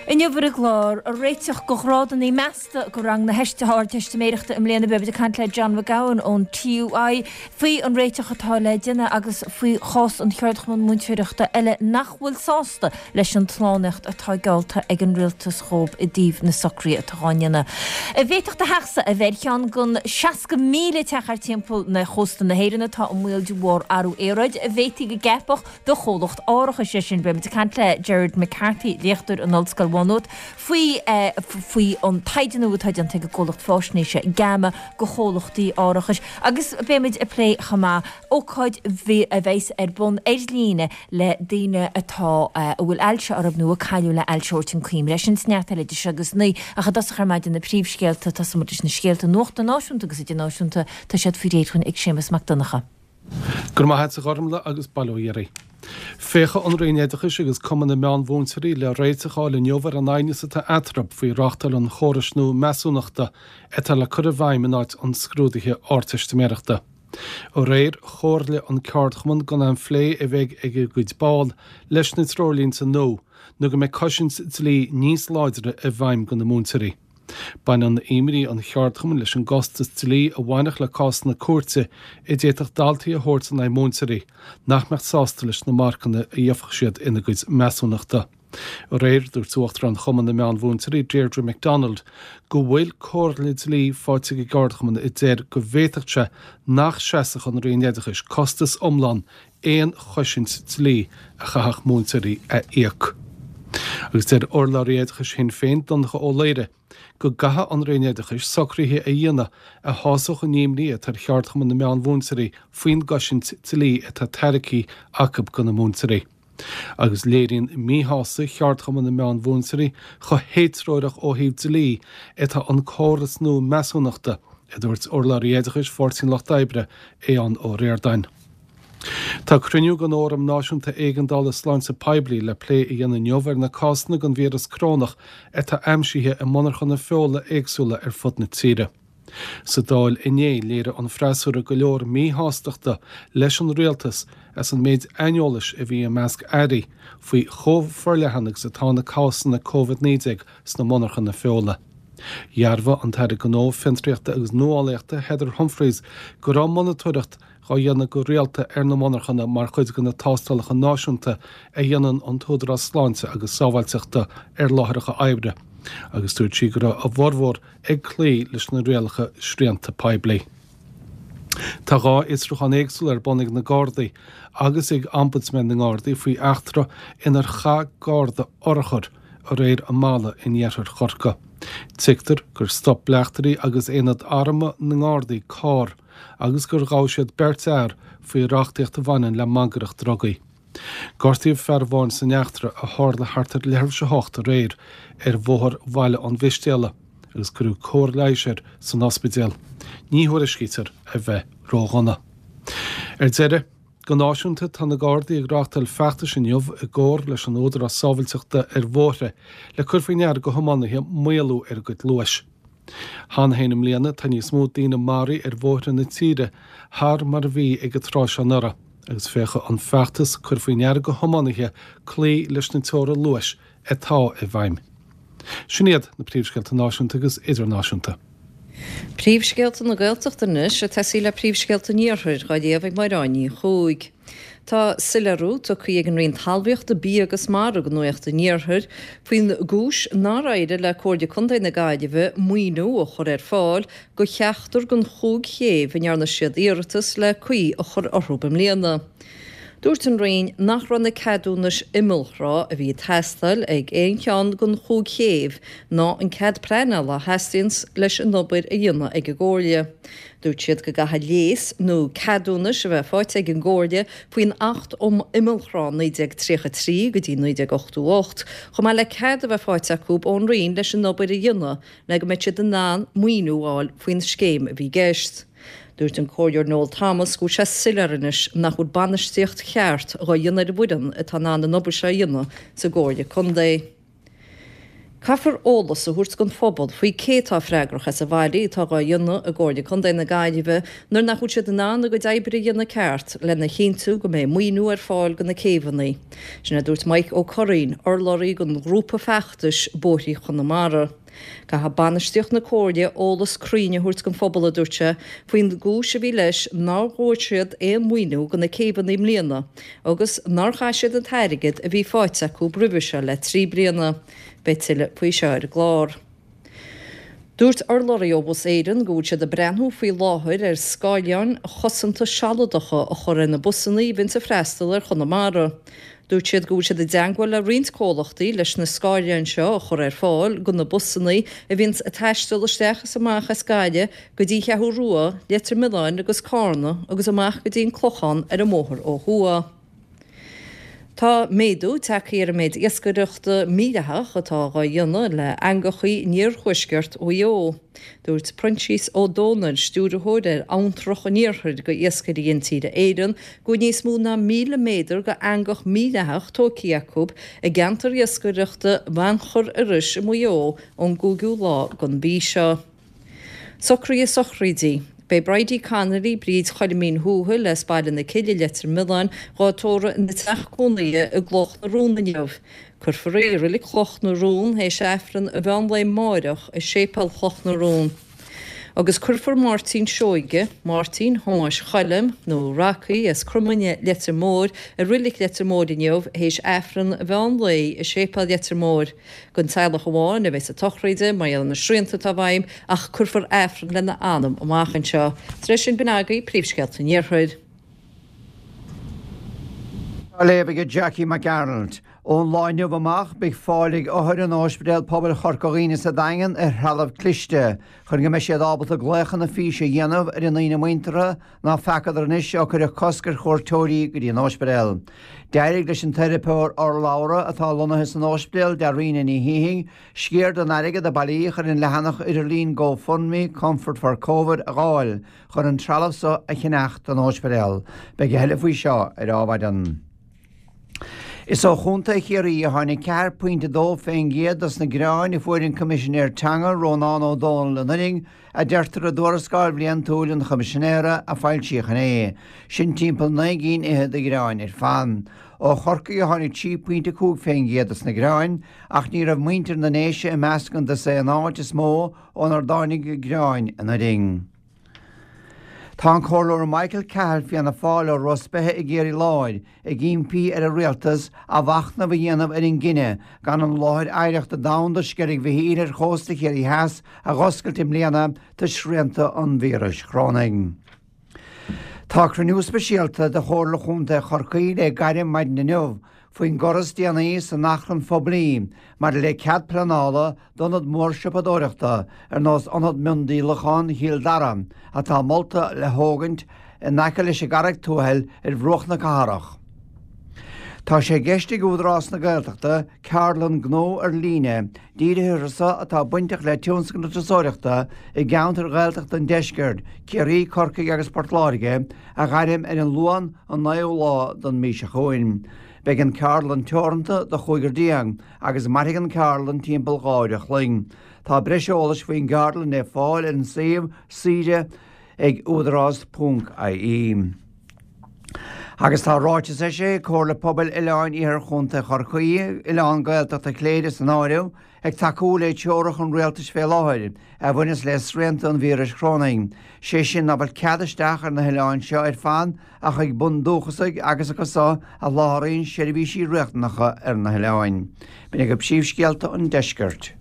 Inniu ar an gclár, réiteach do ghrádanna measta do rang na hArdteistiméireachta i mbliana. Beimid ag caint le John McGowan ón TUI faoi an réiteach atá le déanamh agus faoi chás an cheardchumann múinteoireachta eile nach bhfuil sásta leis an tslánaíocht atá geallta ag an rialtas dhóibh i dtaobh na socruithe atá dhá ndéanamh. An bhféadfadh do theachsa a bheith ar cheann den 60,000 teach thart timpeall na chósta na hÉireann atá i mbaol de bharr athrú aeráide? An bhféadfaí go gceapfadh do chomhlacht árachais é sin. Beimid ag caint le Gerard McCarthy, léachtóir in Ollscoil Mhá Nuad, faoi faoi an taighde nua atá déanta ag an gcomhlacht fáisnéise GAMA do chomhlachtaí árachais agus beimid ag plé chomh maith ócáid a bheas ar bun ar líne le daoine atá a bhfuil ailse orthu nó a cailleadh le ailse a thabhairt chun cuimhne. É sin is neart eile idir seo agus 9 ach i dtosach ar maidin na príomhscéalta, tosóimid leis na scéalta nuachta náisiúnta agus idirnáisiúnta, tá siad faoi réir dhúinn ag Séamus Mac Donncha. Go raibh maith agat a Ghormlaith agus bail ó Dhia oraibh. Féachfaidh an Roinn Oideachais agus Cumann na Meánmhúinteoirí le réiteach a fháil inniu ar an aighneas atá eatarthu faoi reáchtáil an chórais nua measúnachta atá le cur i bhfeidhm in áit an scrúdaithe Ardteistiméireachta. Aréir, chomhairligh an ceardchumann gan aon phlé a bheidh ag a gcuid ball leis na treoirlínte nua nó go mbeidh cosaint dlí níos láidre i bhfeidhm do na múinteoirí. Baineann imní an cheardchumainn leis an gcostas dlí a bhainfeadh le cásanna cúirte a d'fhéadfadh daltaí a thabhairt in aghaidh múinteoirí nach mbeadh sásta leis na marcanna a gheobhadh siad ina gcuid measúnachta. Aréir, dúirt Uachtarán Chumann na Meán-Mhúinteoirí, Deirdre McDonald, go bhfuil comhairle dlí faighte ag an gceardchumann a deir go bhféadfadh sé nach seasfadh an Roinn Oideachais costas iomlán aon chosaint dlí a chaithfeadh múinteoirí a íoc. Agus deir urlabhraí oideachais Shinn Féin, Donncha Ó Laoghaire, go gcaithfidh an Roinn Oideachais socruithe a dhéanamh a shásódh an imní atá ar Cheardchumann na Meán-Mhúinteoirí faoin gcosaint dlí atá tairgthe acu do na múinteoirí. Agus léiríonn míshásamh Cheardchumann na Meán-Mhúinteoirí chomh héatreorach ó thaobh dlí atá an córas nua measúnachta, a dúirt urlabhraí oideachais Pháirtí an Lucht Oibre, Aodhán Ó Ríordáin. Tá cruinniú den Fhóram Náisiúnta Éigeandála Sláinte Poiblí le plé a dhéanamh inniu ar na cásanna den víreas corónach atá aimsithe i monarchana feola éagsúla ar fud na tíre. Sa Dáil inné, léirigh an freasúra go leor míshástachta leis an rialtas as an méid aineolais a bhí i measc airí faoi chomh forleathan agus atá na cásanna Covid-19 sna monarchana feola. Dhearbhaigh an tAire Gnó, Fiontraíochta agus Nuálaíochta Heather Humphreys go raibh monatóireacht á dhéanamh go rialta ar na monarchana mar chuid de na tástálacha náisiúnta a dhéanann an tÚdarás Sláinte agus Sábháilteachta ar láithreacha oibre agus dúirt sí go raibh a bhformhór ag cloí leis na rialacha srianta poiblí. Tá 2 fhiosrúchán éagsúla ar bun ag na Gardaí agus ag Ombudsman na nGardaí faoi eachtra inar chaith Garda urchar aréir i mBalla in iarthar Chorcaí. Tuigtear gur stop bleachtairí agus aonad armtha na nGardaí carr agus gur ghabh siad beirt fhear faoi reachtaíocht a bhaineann le mangaireacht drugaí. Gortaíodh fear amháin san eachtra a tharla thart ar leathuair tar éis a hocht aréir ar Bhóthar Bhaile an Mhistéala agus cuireadh cóir leighis air san ospidéal. Ní thuairiscítear a bheith ródhona. Ar deireadh, go náisiúnta, tá na Gardaí ag reáchtáil feachtais inniu i gcomhar leis an Údarás Sábhailteachta ar Bhóithre le cur faoi ndeara do thiománaithe maolú ar a gcuid luais. Cheana féin i mbliana tá níos mó daoine maraithe ar bhóithre na tíre thar mar a bhí ag an tráth seo anuraidh agus féachfaidh an feachtas cur faoi ndeara do thiománaithe cloí leis na teora luais atá i bhfeidhm. Sin iad na príomhscéalta náisiúnta agus idirnáisiúnta. Príomhscéalta na Gaeltachta anois ag tosaí le príomhscéalta an Iarthair, á léamh ag Máire Ní Chuaig. Tá soiléiriú tugtha ag an Roinn Talmhaíochta, Bia agus Mara do Nuacht an Iarthair faoin gcúis nár éirigh le Comhairle Contae na Gaillimhe maoiniú a chur ar fáil do cheachtar den chúig chéibh a ndearna siad iarratas le caoi a chur orthu i mbliana. Dúirt an Roinn nach raibh na ceadúnais imeallthrá a bhí ag teastáil ag aon cheann den chúig chéibh ná an cead pleanála a theastaíonn leis an obair a dhéanamh ag an gComhairle. Dúirt siad go gcaithfidh léas nó ceadúnais a bheith faighte ag an gComhairle faoin Acht um Imeallthrá 1933 go dtí 1988, chomh maith le cead a bheith faighte acu ón Roinn leis an obair a dhéanamh le go mbeidh siad in ann maoiniú a fháil faoin scéim a bhí i gceist. Dúirt an Comhairleoir Noel Thomas go bhfuil sé soiléir anois nach bhfuil bainistíocht cheart dhá dhéanamh ar an bhfoireann atá in ann an obair seo a dhéanamh sa gComhairle Contae. Caithfear eolas a thabhairt don phobal faoi cé atá freagrach as an bhfaillí atá dhá dhéanamh i gComhairle Contae na Gaillimhe nuair nach bhfuil siad in ann a gcuid oibre a dhéanamh ceart lena chinntiú go mbeidh maoiniú ar fáil do na céibheanna. Sin a dúirt Mike Ó Curraoin, urlabhraí don ghrúpa feachtais Bóithrí Chonamara. Caithfidh bainistíocht na Comhairle eolas cruinn a thabhairt don phobal, a dúirt sé, faoin gcúis a bhí leis nár bhfuair siad aon mhaoiniú do na céibheanna i mbliana agus nár chaith siad an t-airgead a bhí faighte acu roimhe seo le 3 bliana. Beidh tuilleadh faoi seo ar an gclár. Dúirt urlabhraí ó Bhus Éireann go bhfuil siad ag breathnú faoi láthair ar scáileáin chosanta sealadacha a chur ar na busanna a bhíonns ag freastal ar Chonamara. Dúirt siad go bhfuil siad i dteangmháil le roinnt comhlachtaí leis na scáileáin seo a chur ar fáil do na busanna a bhíonns ag taisteal isteach is amach as Gaillimh go dtí an Cheathrú Rua, Leitir Mealláin agus Cárna agus amach go dtí an Clochán ar an mbóthar ó thuaidh. Tá méadú tagtha ar an méid iascaireachta mídhleathach atá dhá dhéanamh le heangachaí in iarthuaisceart Mhaigh Eo. Dúirt Proinsias Ó Domhnaill, Stiúrthóir ar Abhantrach an Iarthair go Iascairí Intíre Éireann, go bhfuil níos mó ná 1,000 méadar go eangach mídhleathach tógtha acu i gceantar iascaireachta Bheannchar Iorrais i Maigh Eo ón gcúigiú lá den mhí seo. Socruithe sochraide. Beidh Bridie Connolly, Bríd Choilimín Thuathail, as Baile na Cille, Leitir Mealláin, dhá tórramh ina teach cónaithe i gCloch na Rón inniu. Cuirfear í i Reilig Chloch na Rón théis Aifreann an mheán lae amáireach i Séipéal Chloch na Rón. Agus cuirfear Máirtín Seoige, Máirtín Thomáis Choilm, nó Rocky, as Cromaine, Leitir Móir, i Reilig Leitir Móir inniu théis Aifreann an mheán lae i Séipéal Leitir Móir. Don teaghlach amháin a bheas an tsochraid, mar gheall ar na srianta atá i bhfeidhm, ach cuirfear Aifreann lena anam amach anseo. Tar éis sin, b'in agaibh príomhscéalta an Iarthair. Á léamh ag Jackie Mac Gearailt. Ón lá inniu amach, beidh fáil ag othair in Ospidéal Pobail Chorca Dhuibhne sa Daingean ar threalamh cliste chun go mbeidh siad ábalta glaochanna físe a dhéanamh ar a ndaoine muinteartha ná feacadar anois ó cuireadh cosc ar chuairteoirí go dtí an ospidéal. D'éirigh leis an teiripeoir urlabhra atá lonnaithe san ospidéal, Dairena Ní Shíthigh, sciar den airgead a bailíodh ar an leathanach idirlín GoFundMe Comfort for Covid a dh'fháil chun an trealamh so a cheannach don ospidéal. Beidh a thuilleadh faoi seo ar Adhmhaidin. Is ó Chontae Chiarraí a tháinig 4.2% dos na gearáin a fuair an Coimisinéir Teanga, Rónán Ó Domhnaill anuraidh, a deirtear i dtuarascáil bhliantúil an Choimisinéara a foilsíodh inné. Sin timpeall 9 gcinn fhichead de ghearáin ar fad. Ó Chorcaigh a tháinig 3.5% dos na gearáin, ach ní raibh muintir na nDéise i measc an dosaen áit is mó ónar dtáinig gearáin anuraidh. Tá an Comhairleoir Michael Cahill Fianna Fáil ó Ros Beithe i gCiarraí Láir ag impí ar an Rialtas athmhachnamh a dhéanamh ar an gcinneadh gan an láthair oidhreachta domhanda Sceilg Mhichíl ar chósta Chiarraí Theas a dh'oscailt i mbliana toisc srianta an víris chorónaigh. Tá cruinniú speisialta de Chomhairle Chontae Chorcaí le gairim maidin inniu faoin gcor is déanaí san achrann phoiblí maidir le cead pleanála d'ionad mór siopadóireachta ar nós Ionad Miondíolacháin Chill Dara atá molta le thógaint in aice leis an gCarraig Tuathail ar bhruach na cathrach. Tá sé i gceist ag Údarás na Gaeltachta ceardlann gnó ar líne dírithe orthu so atá bainteach le tionscal na turasóireachta i gceantair Ghaeltachta an deiscirt, Ciarraí, Corcaigh agus Port Láirge, a ghairm ar an Luan an 9ú lá den mhí seo chugainn. Beidh an ceardlann teoranta do chúigear déag agus mairfidh an ceardlann timpeall 2 uair a chloig. Tá breis eolais faoin gceardlann le fáil ar an suíomh saoire ag údarás.ie. Agus tá ráiteas eisithe ag Comhairle Pobail Oileáin Iarthar Chontae Chorcaí, Oileán Gaeltachta Chléire san áireamh, ag tacú le treoracha an rialtais fé láthair a bhaineas le srianta an víris chorónaigh, sé sin ná fuil cead isteach ar na hoileáin seo ar fad ach ag bundúchasaigh agus acu so a sholáthraíonn seirbhísí riachtanacha ar na hoileáin. B'in agaibh príomhscéalta an deiscirt.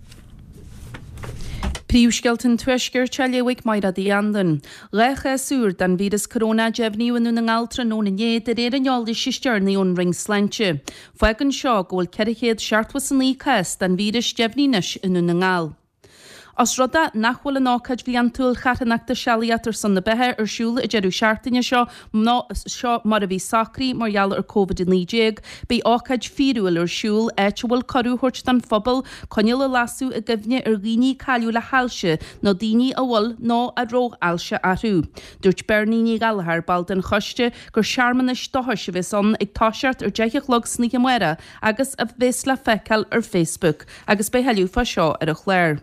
Príomhscéalta an Tuaiscirt á léamh ag Mairéad Uí Anluain. 2 chás úr den víreas corónach deimhníodh i nDún na nGall tráthnóna inné de réir an eolais is deireanaí ón Roinn Sláinte. Fágann seo go bhfuil 479 cás den víreas deimhnithe anois i nDún na nGall. Os rud é nach bhfuil an ócáid bhliantúil charthanachta Sealaíocht ar son na Beatha ar siúl an deireadh seachtaine seo seo mar a bhí socraithe mar gheall ar Covid-19, beidh ócáid fíorúil ar siúl áit a bhfuil cuireadh á thabhairt don phobal coinneal a lasadh i gcuimhne ar dhaoine a cailleadh le hailse nó daoine a bhfuil nó a raibh ailse orthu. Dúirt Bernie Ní Ghallchóir, ball den choiste, gur searmanas dóchais a bheas ann ag toiseacht ar 10 a chlog san oíche amárach agus a bheas le feiceáil ar Facebook. Agus beidh tuilleadh fá seo ar an chlár.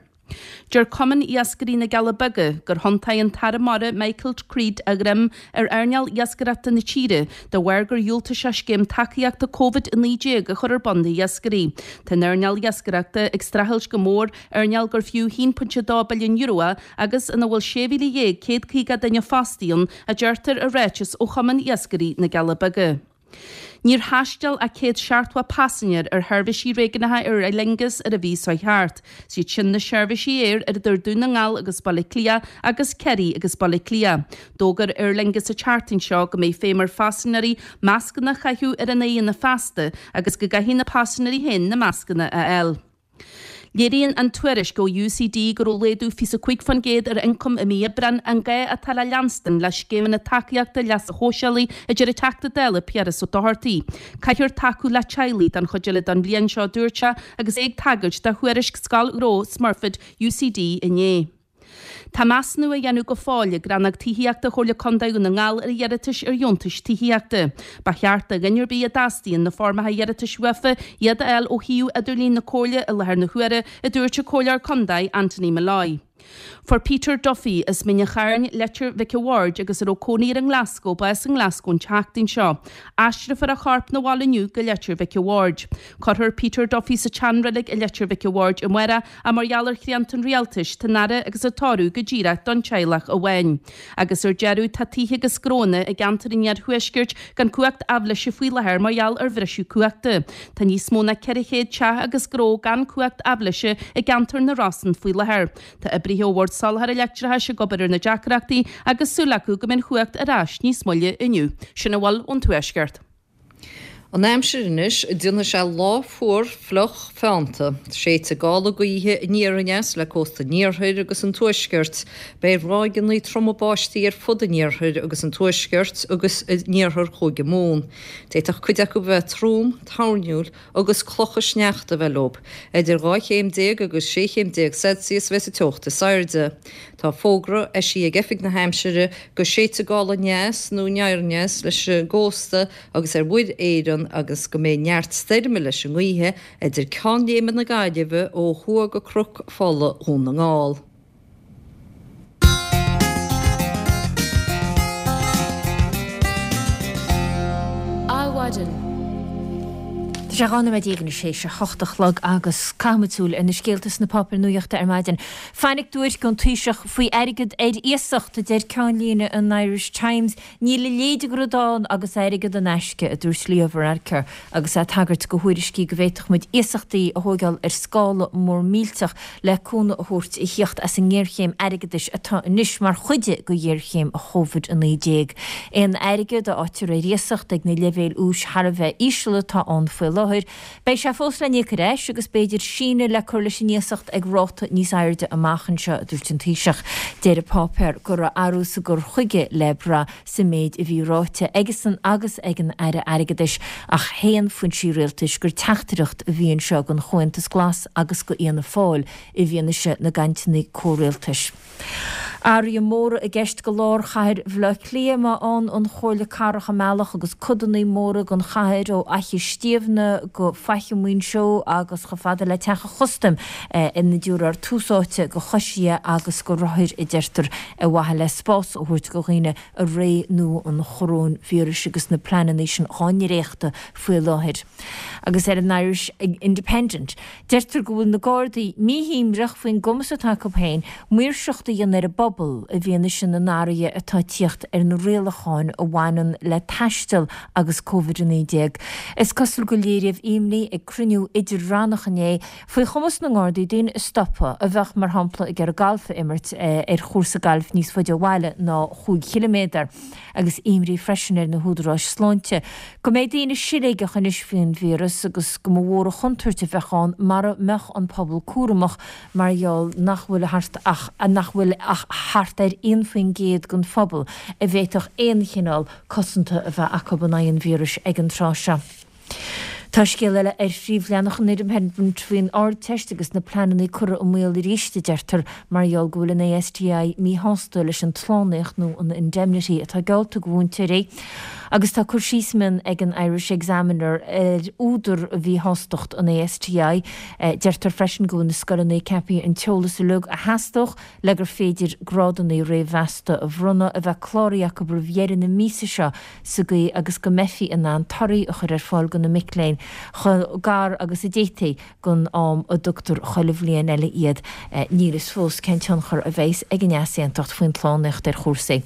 Deir Cumann Iascairí na gCealla Beaga gur thiontaigh an tAire Mara Michael Creed a dhroim ar earnáil iascaireachta na tíre de bharr gur dhiúltaigh sé scéim tacaíochta Covid-19 a chur ar bun d'iascairí. Tá an earnáil iascaireachta ag streachailt go mór, earnáil gur fiú €1.2 billiún é agus ina bhfuil 16,150 duine fostaithe ann, a deirtear i ráiteas ó Chumann Iascairí na gCealla Beaga. Níor thaisteal ach 170 paisinéir ar sheirbhísí réigiúnacha Aer Lingus ar an mhí seo thart. Is iad sin na seirbhísí aeir ar idir Dún na nGall agus Baile Átha Cliath agus Ciarraí agus Baile Átha Cliath. D'fhógair Aer Lingus an tseachtain seo go mbeidh feidhm ar phaisinéirí mascanna a chaitheamh ar a n-aghaidheanna feasta agus go gcaithfidh na paisinéirí féin na mascanna a fháil. Léiríonn an tuairisc ó UCD go raibh laghdú 25% ar ioncam i mí Aibreáin an gá atá le leanstan le scéimeanna tacaíochta leasa shóisialaigh, a deir an Teachta Dála Piaras Ó Dochartaigh. Caithfear tacú le teaghlaigh don chuid eile den bhliain seo, a dúirt sé agus é ag tagairt do thuairisc Scoil Ghnó Smurfit UCD inné. Tá measúnú á dhéanamh go fóill ag Rannóg Tithíochta Chomhairle Contae Dhún na nGall ar iarratais ar dheontais tithíochta. Ba cheart do dhuine ar bith a dteastaíonn na foirmeacha iarratais uafa iad a fháil ó shuíomh idirlín na Comhairle i láthair na huaire, a dúirt an Comhairleoir Contae Anthony Molloy. Fuair Peter Duffy, as Mín an Chairn, Leitir Mhic a' Bhaird agus a raibh cónaí air i nGlasgow, bás i nGlasgow an tseachtain seo. Aistreofar a chorp 'na bhaile inniu go Leitir Mhic a' Bhaird. Cuirfear Peter Duffy sa tseanreilig i Leitir Mhic a' Bhaird amárach ach mar gheall ar shrianta an rialtais, tá an fhaire agus an tórramh go díreach don teaghlach amháin. Agus ar deireadh, tá tithe agus gnóanna i gceantar an iarthuaiscirt gan cumhacht aibhléise faoi láthair mar gheall ar bhriseadh cumhachta. Tá níos mó ná 400 teach agus gnó gan cumhacht aibhléise i gceantar na Rosann faoi láthair. Tá oibrithe ó Bhord Soláthair Leictreachais ag obair ar na deacrachtaí agus súil acu go mbeidh an chumhacht ar ais níos moille inniu. Sin a bhfuil ón Tuaisceart. An aimsir anois, déanfaidh sé lá fuar, fliuch, feannta. Séidfidh gála gaoithe aniar aneas le cósta an iarthair agus an tuaiscirt. Beidh ráigeanna troma báistí ar fud an iarthair agus an tuaiscirt agus in iarthar Chúige Mumhan. D'fhéadfadh cuid acu a bheith trom, toirniúil agus clocha sneachta a bheith leo. Idir 12 chéim agus 16 chéim Celsius a bheas an teocht is airde. Tá fógra eisithe ag Oifig na hAimsire go séidfidh gála aneas nó aniar aneas leis an gcósta agus ar Mhuir Éireann agus go mbeidh neart stoirme leis an ngaoithe idir Ceann Léime na Gaillimhe ó thuaidh go Cnoc Fola Dhún na nGall. Adhmhaidin. Tá sé 12 nóiméad anois théis a hocht a chlog agus caithfimid súil ar na scéalta sna páipéir nuachta ar maidin. Fainic duairc ón Taoiseach faoi airgead ar iasacht, a deir ceannlíne an Irish Times. Níl a leithéid de rud ann agus airgead in aisce, a dúirt Leo Varadkar agus é ag tagairt do thuairiscí go bhféadfadh muid iasachtaí a thóigeáil ar scála mór millteach le cúnamh a thabhairt a thíocht as an ngéarchéim airgeadais atá anois mar chuid de ghéarchéim Covid-19. Aon airgead a fhaightear ar iasacht ag na leibhéil úis thar a bheith íseal atá ann faoi láthair, Beidh sé fós le n-íoc ar ais agus b'fhéidir síneadh le cur leis an iasacht ag ráta níos airde amach anseo, a dúirt an Taoiseach. Deir an páipéar go raibh athrú sa gcur chuige le brath sa méid a bhí ráite aigesan agus ag an Aire Airgeadais ach shéan foinsí rialtais gur teachtaireacht a bhí anseo don Chomhaontas Glas agus do Fhianna Fáil i bhfianaise na gcainteanna comhrialtais. Athruithe móra i gceist do lár chathair Bhaile Átha Cliath má fhaigheann an Chomhairle Cathrach a mbealach agus codanna móra den chathair ó Fhaiche Stiabhna go Faiche Mhuinseo agus chomh fada le Teach an Chustaim ina dtabharfar tús áite do choisithe agus do rothair, a deirtear, ar mhaithe le spás a thabhairt do dhaoine i ré nua an choróinvíris agus na pleananna sin dhá ndréachtadh faoi láthair. Agus ar an Irish Independent, Deirtear go bhfuil na Gardaí míshuaimhneach faoin gcumas atá acu féin maoirseacht a dhéanamh ar an bpobal. bpobal i bhfianaise na n-athruithe atá ag tíocht ar na rialacháin a bhaineann le taisteal agus Covid-19. Is cosúil gur léiríodh imní ag cruinniú idir-rannach inné faoi chumas na nGardaí daoine a stopadh a bheadh, mar shampla, ag iarraidh galf a imirt ar chúrsa gailf níos faide ó bhaile ná chúig chiliméadar. Agus imní freisin ar na húdaráis sláinte go mbeidh daoine siléigeach anois faoin víreas agus go mba mhór an chontúirt a bheadh ann mara mbeadh an pobal cúramach mar gheall nach bhfuil thart ach nach bhfuil ach thart ar 1% den phobal a bhféadfadh aon chineál cosanta a bheith acu in aghaidh an víris ag an tráth seo. Tá scéal eile ar phríomhleathanach an Independent faoin Ardteist agus na pleananna curtha i mbaol arís, a deirtear, mar gheall go bhfuil an ASTI míshásta leis an tslánaíocht nó an indemnity atá geallta do mhúinteoirí. Agus tá cur síos mion ag an Irish Examiner ar údar mhíshástacht an ASTI. Deirtear freisin go bhfuil na scoileanna ceaptha an t-eolas uilig a theastódh le gur féidir grádanna réamh-mheasta a bhronnadh a bheith cláraithe acu roimh dheireadh na míosa seo sa gcaoi agus go mbeifí in ann torthaí a chur ar fáil do na mic léinn chomh gar agus a d'fhéadfaí don am a dtugtar chuile bhliain eile iad. Níl fhios fós cén tionchar a bheas ag an easaontacht faoin tslánaíocht ar chúrsaí.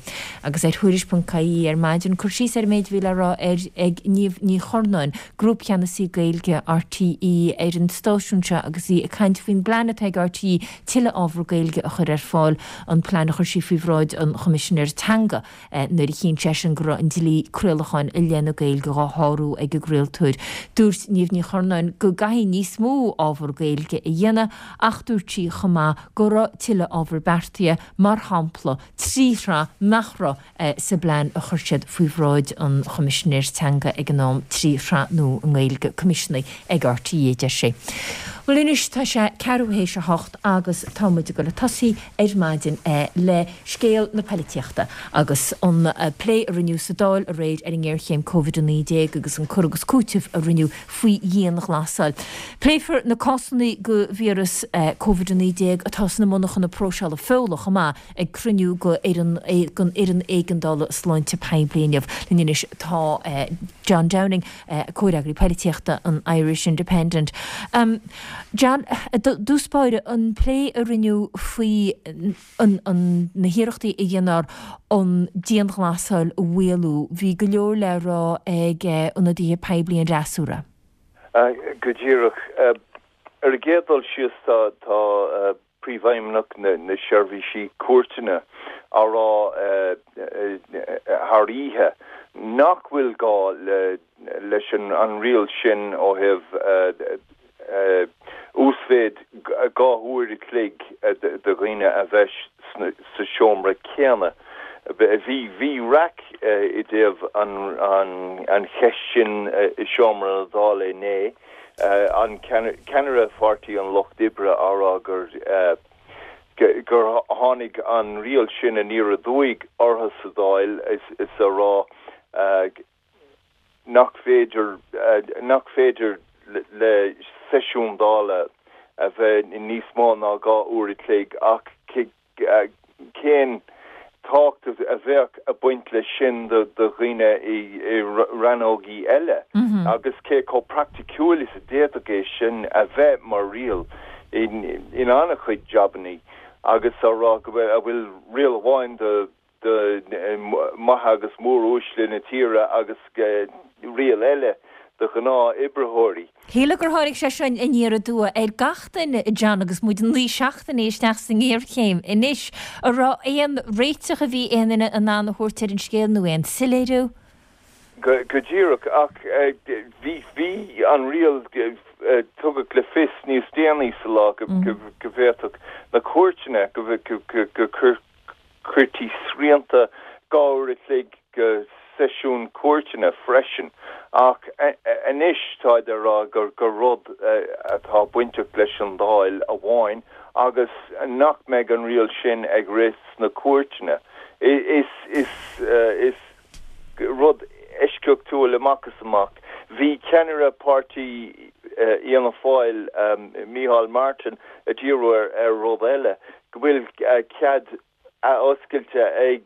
Agus ar Thuairisc.ie ar maidin, cur síos ar an méid a bhí le rá ar ag Niamh Ní Churnáin, Grúpcheannasaí Gaeilge RTÉ ar an stáisiún seo agus í ag caint faoin bplean atá ag RTÉ tuilleadh ábhar Gaeilge a chur ar fáil, an plean a chuir sí faoi bhráid an Choimisinéir Teanga nuair a chinn seisean go raibh an dlí craolacháin i leith na Gaeilge dhá shárú ag an gcraoltóir. Dúirt Niamh Ní Churnáin go gcaithfí níos mó ábhar Gaeilge a dhéanamh ach dúirt sí chomh maith go raibh tuilleadh ábhar beartaithe, mar shampla trí shraith nach raibh sa bplean a chuir siad faoi bhráid an Choimisinéir Teanga ag an am, trí shraith nua i nGaeilge coimisiúnaithe ag RTÉ, a deir sí. Bhuel anois tá sé ceathrú théis a hocht agus tá muid ag dul ag tosaí ar maidin le scéal na poilitíochta agus an plé a rinneadh sa Dáil aréir ar an ngéarchéim Covid-19 agus an cur agus cúiteamh a rinneadh faoi dhianghlasáil. Pléifear na cásanna de víreas Covid-19 atá sna monarchana próiseála feola chomh maith ag cruinniú den Fhoireann Éigeandála Sláinte Poiblí inniu. Linn anois tá John Downing, Comhfhreagraí Poilitíochta an Irish Independent. John, i dtús báire, an plé a rinneadh faoi na hiarrachtaí a dhéanfar an dianghlasáil a mhaolú, bhí go leor le rá ag ionadaithe poiblí an fhreasúra. Go díreach. Ar an gcéad dul síos tá Príomhfheidhmeannach na Seirbhísí Cúirteanna á rá thar oíche nach bhfuil gá leis an riail sin ó thaobh uasmhéid 2 uair a chloig do dhaoine a bheith sa seomra céanna. Bhí raic i dtaobh an cheist sin i seomra na Dála inné. An ceannaire Pháirtí an Lucht Oibre á rá gur gur tháinig an riail sin aniar aduaidh orthu sa Dáil is á rá nach féidir nach féidir le seisiún Dála a bheith níos mó ná 2 uair a chloig ach Cén tábhacht a bheadh ag baint leis sin do dhaoine i rannógaí eile agus cé chomh praiticiúil is a d'fhéadfadh é sin a bheith mar riail in an-chuid jabannaí agus á rá go bhfuil riail amháin do mhaithe agus móruaisle na tíre agus riail eile do ghnáth-oibritheoirí. Shílfeá gur tháinig sé seo aniar aduaidh ar gach duine, a John, agus muid 9 seachtainí isteach sa ngéarchéim anois. An raibh aon réiteach a bhí aon duine in ann a thabhairt ar an scéal nó aon soiléiriú? Go díreach, ach bhí an riail, tugadh le fios níos déanaí sa lá go bhféadfadh na cúirteanna go Chuirtí srianta 2 uair a chloig go seisiúin cúirteanna freisin, ach anois táid ag rá gur rud atá bainteach leis an Dáil amháin agus nach mbeidh an riail sin ag rith sna cúirteanna. Is rud eisceachtúil amach is amach. Bhí ceannaire páirtí Fhianna Fáil, Micheál Martin, ag díriú ar rud eile, go bhfuil cead athoscailte ag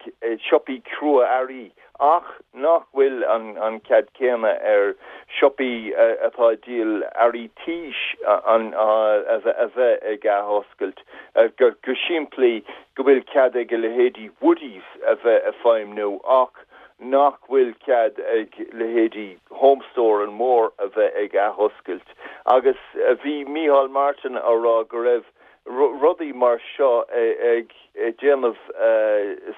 siopaí crua-earraí. ach nach bhfuil an cead céanna ar siopaí atá ag díol earraí tís a bheith ag athoscailt. Go simplí, go bhfuil cead ag a leithéidí Woodies a bheith ag feidhmniú ach nach bhfuil cead ag leithéidí Home Store and More a bheith ag athoscailt. Agus bhí Micheál Martin á rá go raibh rudaí mar seo ag déanamh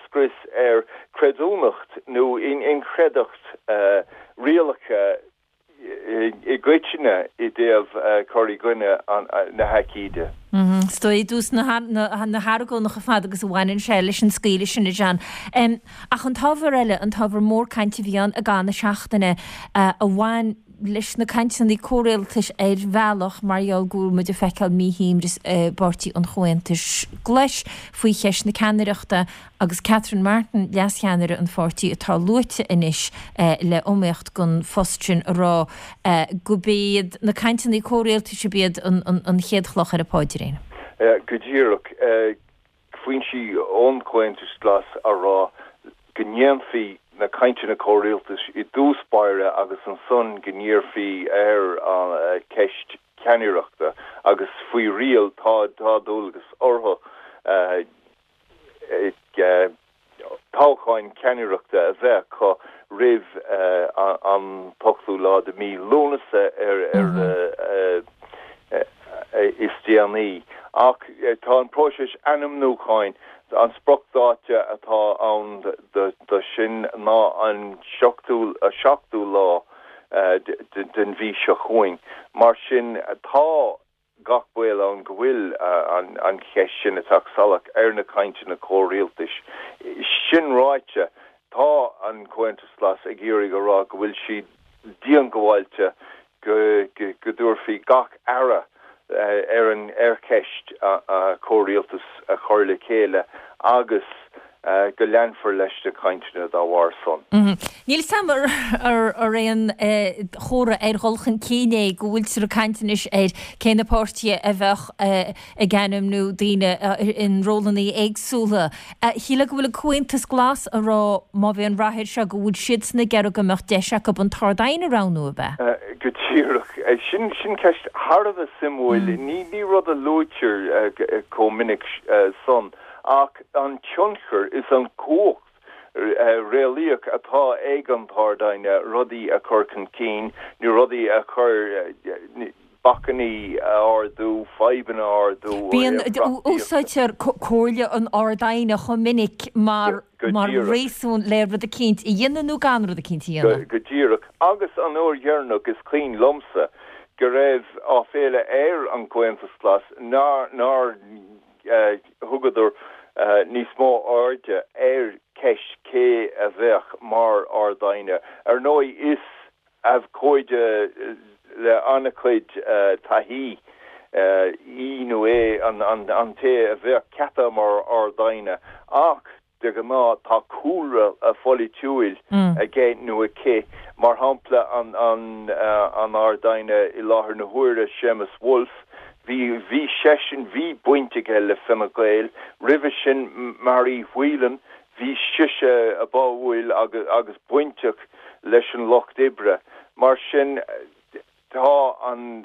scrios ar chreidiúnacht nó inchreidteacht rialacha i gcoitinne i dtaobh cur i gcoinne na haicíde. Is dóigh i dtús na hargóna chomh fada agus a bhaineann sé leis an scaoileadh sin, a John. Ach an t-ábhar eile, an t-ábhar mór cainte a bhí ann i gcaitheamh na seachtaine a bhain leis na cainteanna comhrialtais ar bhealach mar gheall go bhfuil muid ag feiceáil míshuaimhneas i bPáirtí an Chomhaontais Ghlais faoi cheist na ceannaireachta agus Catherine Martin, leascheannaire an pháirtí atá luaite anois le iomaíocht don phost sin ag rá gurb iad na cainteanna comhrialtais ab iad an chéad chloch ar an bpáidrín. Go díreach. Foinsí ón Chomhaontas Glas á rá go ndéanfaí na cainteanna comhrialtais i dtús báire agus ansan go n-iarrfaí ar an cheist ceannaireachta agus faoi riail tá dualgas orthu toghcháin ceannaireachta a bheith acu roimh an t-ochtú lá de mhí Lúnasa ar is déanaí. Ach tá an próiseas ainmniúcháin, an spriocdháta atá ann do sin ná an 7ú lá den mhí seo chugainn. Mar sin tá gach baol ann go bhfuil an cheist sin ag teacht salach ar na cainteanna comhrialtais. Sin ráite, tá an Comhaontas Glas ag iarraidh a rá go bhfuil siad diongbháilte go dtabharfaí gach aire ar an ar cheist comhrialtas a chur le chéile agus go leanfar leis na cainteanna dá bharr san. Níl 's a'm ar aon chomhartha ar dhul chun cinn é go bhfuiltear ag caint anois ar cé na páirtithe a bheadh ag ainmniú daoine in rólanna éagsúla. Shílfeá go bhfuil an Comhaontas Glas ag rá má bhíonn rath air seo go bhfuil siadsan ag iarraidh go mbeadh deis acu an tArd-Aighne a roghnú, ab ea? Go díreach. Sin ceist thar a bheith suimiúil. Ní rud a luaitear chomh minic san. Ach an tionchar is an chumhacht réalaíoch atá ag an tArd-Aighne rudaí a chur chun cinn nó rudaí a chur, bacainní a ardú, fadhbanna a ardú ó Bíonn, thaobh reachtaíochta. úsáidtear comhairle an Ard-Aighne chomh minic mar Go mar díreach. réasún le rud eicínt a dhéanamh nó gan rud eicínt a dhéanamh. Go díreach. Agus an uair dheireanach is cuimhin liomsa go raibh áiféala ar an gComhaontas Glas nár nár thugadar níos mó airde ar cheist cé a bheadh mar Ard-Aighne. Ar ndóigh, is abhcóide le an-chuid taithí í nó é an té a bheadh ceaptha mar Ard-Aighne ach, De ghnáth tá cúlra pholaitiúil aige nó aici, mar shampla an Ard-Aighne i láthair na huaire, Séamus Woulfe, bhí, bhí seisean, bhí baint aige le Fine Gael. Roimhe sin Marie Whelan, bhí sise báúil agus bainteach leis an Lucht Oibre. Mar sin. Tá an,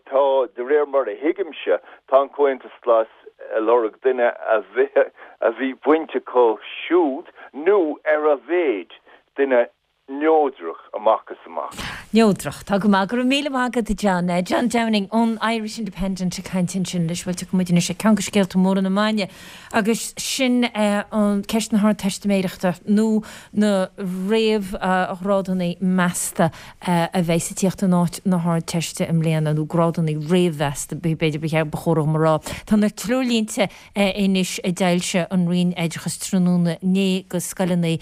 tá, de réir mar a thuigimse, tá an Comhaontas Glas ag lorg duine a bhí, a bhí baint acu siúd nó ar a mhéid duine neodrach amach is amach. Neodrach. Tá go maith. Go raibh míle maith agat, a John. John Downing ón Irish Independent ag caint ansin leis. Bhuel, tiocfaidh muid anois ar ceann de scéalta móra na maidine agus sin an ceist na hArdteistiméireachta nó na réamhghrádanna measta a bheas ag tíocht in áit na hArdteiste i mbliana, nó grádanna réamh-mheasta, b'fhéidir ba cheart, ba chóir dhom a rá. Tá na treoirlínte anois a d'fhoilsigh an Roinn Oideachais tráthnóna inné go scoileanna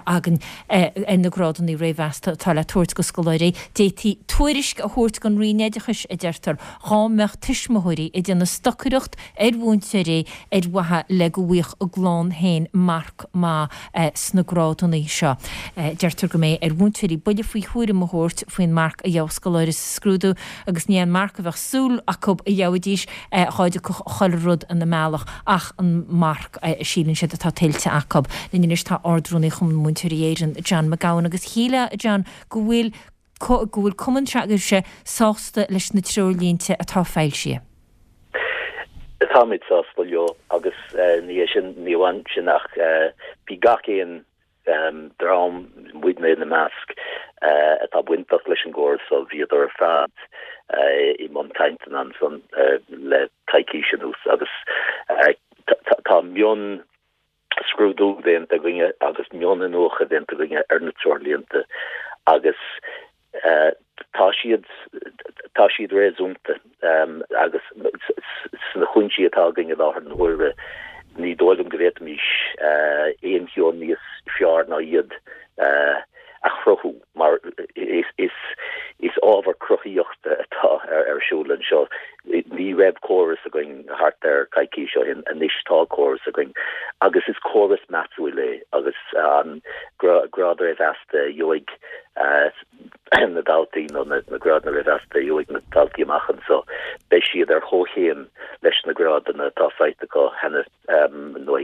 againn ar na grádanna réamh-mheasta atá le tabhairt go. scoláirí. D'fhéadfaí tuairisc a thabhairt don Roinn Oideachais, a deirtear, dhá mbeadh tuismitheoirí ag déanamh stocaireacht ar mhúinteoirí ar mhaithe le go bhfaigheadh a gclann féin marc maith sna grádanna seo. Deirtear go mbeidh ar mhúinteoirí buille faoi thuairim a thabhairt faoin marc a gheobhadh scoláire sa scrúdú agus ní an marc a bheadh súil acu a gheobhaidís dhá dtiocfadh chuile rud ina mbealach ach an marc a síleann siad atá tuillte acu. Linn anois tá Ard-Rúnaí Chumann Múinteoirí Éireann, John McGowan agus shílfeá, a John, go bhfuil go bhfuil cumann s'agaibhse sásta leis na treoirlínte atá foilsithe. Táimid sásta leo agus ní hé sin, ní amháin sin ach bhí gach aon dream, muidne ina measc, atá bainteach leis an gcóras so bhíodar ar fad i mbun cainteanna ansan le coicís anuas agus tá mion scrúdú déanta againne agus mion-iniúchadh déanta againne ar na treoirlínte agus tá siad, tá siad réasúnta agus sna cúinsí atá againn i láthair na huaire, ní dóigh liom go bhféadfaimis aon cheo níos fearr ná iad a chruthú mar is ábhar cruthaíochta atá ar siúl anseo. Ní raibh córas againn thart ar coicís ó shin, anois tá córas againn agus is córas measúil é agus an grád réamh-mheasta a gheobhaidh na daltaí nó na grádanna réamh-mheasta a gheobhaidh na daltaí amach anseo, beidh siad ar chomhchéim leis na grádanna atá faighte acu cheana nó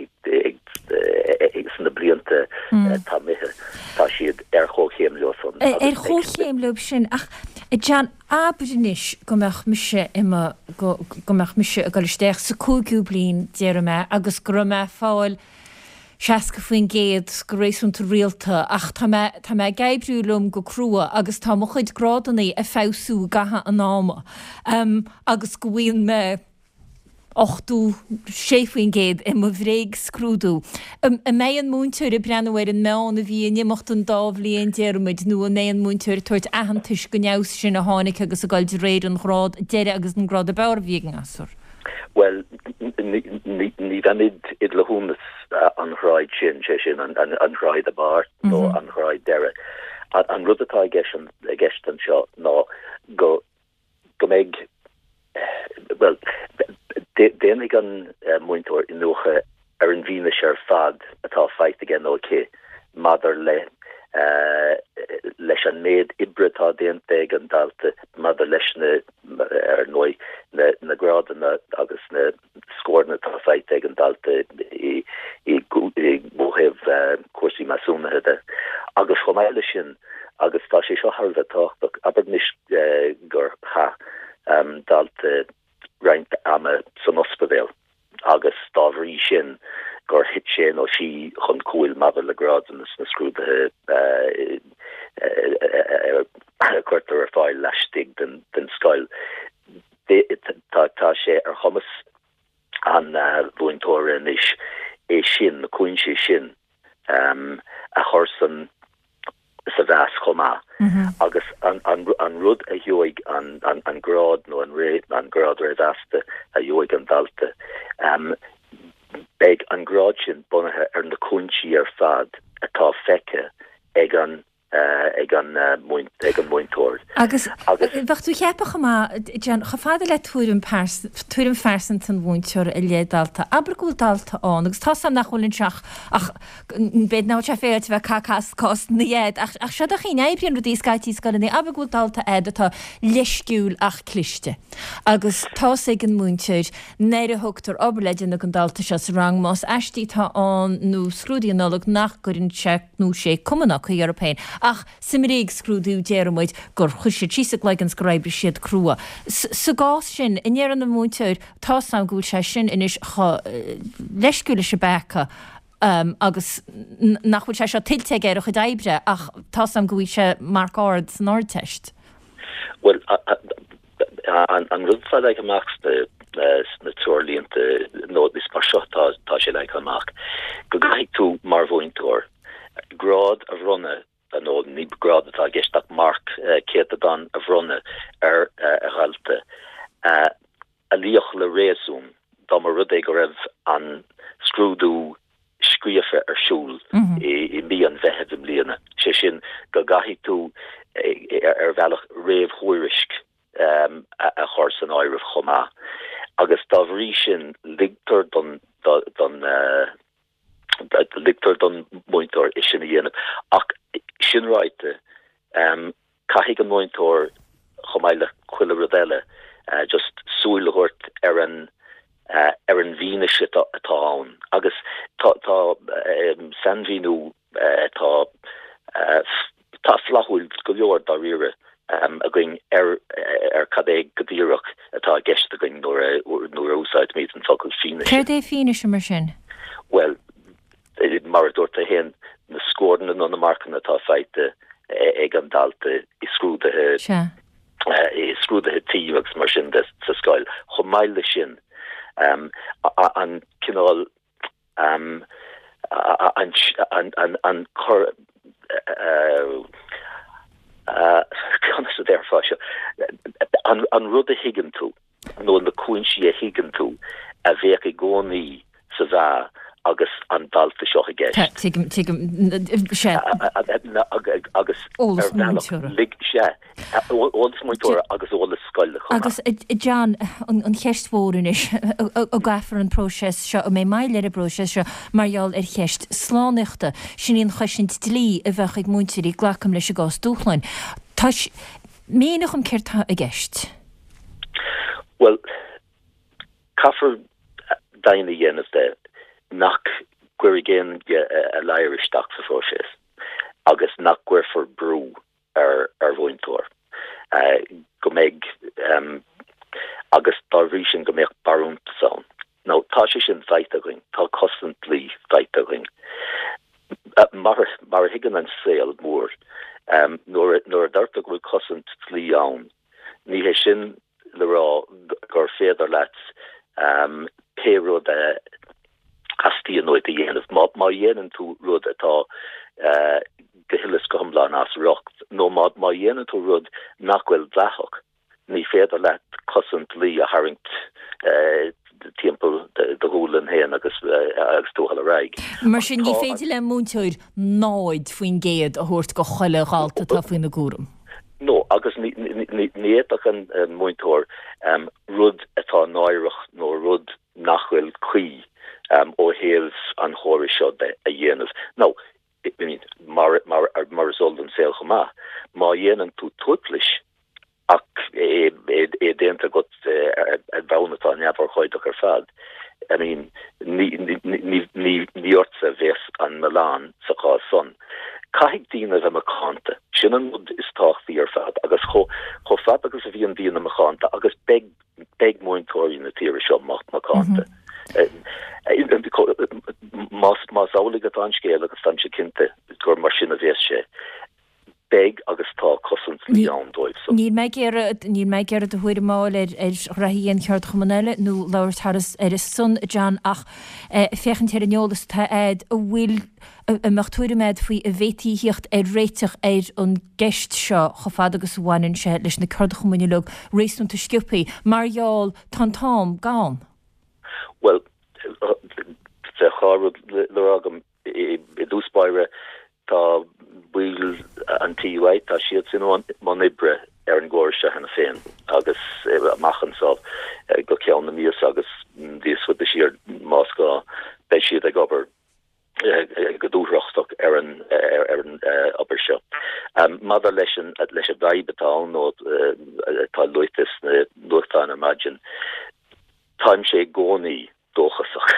sna blianta atá imithe, tá siad ar chomhchéim leo san. Ar chomhchéim leo sin. Ach, a John, abair anois go mbeadh mise i mo, go mbeadh mise ag dul isteach sa cúigiú bliain, déarfaidh mé, agus go raibh mé ag fáil 60% go réasúnta rialta ach tá mé, tá mé ag oibriú liom go crua agus tá mo chuid grádannaí ag feabhsú i gcaitheamh an ama agus go bhfaigheann mé 86% i mo bhréagscrúdú. An mbeidh an múinteoir ag breathnú ar an meán a bhí in imeacht an dá bhliain, déarfaimid, nó an mbeidh an múinteoir ag tabhairt aitheantais don fheabhas sin a tháinig agus ag dul de réir an ghrád deiridh agus an grád ab fhearr a bhí ag an ngasúr? Bhuel, ní bheimid i dcleithiúnas an ghráid sin, sé sin, an ghráid ab fhearr nó an ghráid deiridh. An rud atá i gceist anseo ná go go mbeidh, bhuel, déanfaidh an múinteoir iniúchadh ar an bhfianaise ar fad atá faighte aige nó aici maidir le leis an méid oibre atá déanta ag an dalta, maidir leis na, ar ndóigh, na grádanna agus na scóranna atá faighte ag an dalta i ó thaobh cúrsaí measúnaithe de. Agus chomh maith leis sin, agus tá sé seo thar a bheith tábhachtach, abair anois gur chaith dalta roinnt ama san ospidéal agus dá bhrí sin gur thit sé nó sí chun cúil maidir le grádanna sna scrúduithe a cuirtear ar fáil laistigh den scoil. Tá sé ar chumas an mhúinteora anois é sin, na cúinsí sin a chur san sa mheas chomh maith agus an rud a gheobhaidh an grád nó an grád réamh-mheasta a gheobhaidh an dalta, beidh an grád sin bunaithe ar na cúinsí ar fad atá feicthe ag an ag an múinteoir. Agus bheadh tú ag ceapadh chomh maith, John, chomh fada le tuairim tuairim phearsanta an mhúinteora i leith dalta, abair go bhfuil dalta ann, agus tá's a'm nach bhfuil anseo ach, ach b'fhéidir nach bhfuil sé féaráilte a bheith ag caitheamh cás na gcead, ach, ach seo do chaoi a n-oibríonn rudaí scaití i scoileanna, abair go bhfuil dalta a'd atá leisciúil ach cliste, agus tá's ag an múinteoir nuair a thugtar obair le déanamh don dalta seo sa rang, más aistí atá ann nó scrúduithe Nollag, nach gcuireann sé nó sí cuma ná caoi orthu féin. Ach sa mbréagscrúdú déarfaidh muid gur chuir siad síos a gcloigeann 's gur oibrigh siad crua. Sa gcás sin, an ndéarfaidh an múinteoir, tá's a'm go bhfuil sé sin anois chomh leisciúil leis an bpeaca agus nach bhfuil sé seo tuillte aige ar a chuid oibre ach tá's a'm go bhfaighidh sé marc ard san Ardteist. Bhuel, An rud atá leagtha amach sna treoirlínte, nó is mar seo atá sé leagtha amach, go gcaithfidh tú, mar mhúinteoir, grád a bhronnadh, nó ní grád atá i gceist ach marc, céatadán a bhronnadh ar dhalta a luífeadh le réasún dá mba rud é go raibh an scrúdú scríofa ar siúl i mí an Mheithimh i mbliana, sé sin go gcaithfidh tú. ar bhealach réamhthuairisc a chur san áireamh chomh maith agus dá bhrí sin ligtear don don ligtear don mhúinteoir é sin a dhéanamh. Ach sin ráite, caithfidh an múinteoir, chomh maith le chuile rud eile, just súil a thabhairt ar an ar an bhfianaise atá ann. Agus tá tá sainmhíniú atá tá flaithiúil go leor dáiríre againn ar ar cad é go díreach atá i gceist againn nuair a nuair a úsáidimid an focal fianaise. Céard é fianaise mar sin? Bhuel, mar a dúirt tú féin, na scóranna nó na marcanna atá faighte ag an dalta i scrúduithe i scrúduithe tí agus mar sin de sa scoil. Chomh maith leis sin, an cineál an an cur conas a déarfá seo, an rud a thuigeann tú nó na cúinsí a thuigeann tú a bheadh i gcónaí sa mheá agus an dalta seo i gceist. Tuigim, tuigim, sea. Agus ar bhealach, lig, sea. Eolas múinteora agus eolas scoile chomh maith. Agus, a John, an cheist mhór anois, an gcaithfear an próiseas seo, an mbeidh moill ar an bpróiseas seo mar gheall ar cheist slánaíochta? Sin í an chosaint dlí a bheadh ag múinteoirí, glacaim leis, i gcás dúshláin. Tá, mínigh dhom céard tá i gceist. Bhuel, caithfear deimhin a dhéanamh de nach gcuirfidh éinne a ladhar isteach sa phróiseas agus nach gcuirfear brú ar ar mhúinteoir, go mbeidh, agus dá bhrí sin go mbeadh barúntas ann. Now, tá sé sin faighte againn, tá cosaint dlí faighte againn. Mar mar a thuigeann an saol mór, nuair nuair a deirtear go bhfuil cosaint dlí ann, ní hé sin le rá gur féidir leat pé rud a theastaíonn uait a dhéanamh. Má dhéanann tú rud atá go huile is go hiomlán as riocht, nó má dhéanann tú rud nach bhfuil dleathach, ní féidir leat cosaint dlí a tharraingt timpeall do ghualainn féin agus agus tú a dhul ar aghaidh. Mar sin, ní féidir le múinteoir 0% a thabhairt go chuile dhalta atá faoina gcúram. No, agus ní fhéadfadh an múinteoir rud atá náireach nó rud nach bhfuil cuí ó thaobh an chórais seo de a dhéanamh. Now, I mean, mar mar is eol don saol chomh maith, má dhéanann tú tuaiplis ach é é déanta agat ar bhonn atá neamhurchóideach ar fad, I mean, ní ní ní ní ortsa a bheas an milleán sa chás san. Caithfidh daoine a bheith macánta. Sin an rud is tábhachtaí ar fad agus chomh chomh fada agus a bhíonn daoine macánta agus beidh beidh múinteoirí na tíre seo macánta. Más más amhlaidh atá an scéal agus táimse cinnte gur mar sin a bheas sé, beidh agus tá cosaint dlí ann dóibh san. Níl mé ag iarraidh, níl mé ag iarraidh do thuairim a fháil ar ar ghraithí aon cheardchumann eile nó labhairt thar ar a son, John, ach féachaint ar an eolas atá a'd, an bhfuil, an mbeadh tuairim a'd faoi an bhféadfaí a thíocht ar réiteach ar an gceist seo chomh fada agus a bhaineann sé leis na ceardchumainn uilig réasúnta sciobthaí, mar gheall tá an t-am gann. Bhuel, bheadh dhá rud le rá agam. I dtús báire, tá baill an TUI, tá siadsan i mbun oibre ar an gcóras seo cheana féin agus amach anseo go ceann na míosa agus níos faide siar más gá, beidh siad ag obair go dúthrachtach ar an ar an obair seo. Maidir leis an leis an bhfadhb atá ann nó atá luaite sna nuachtáin ar maidin, táimse i gcónaí dóchasach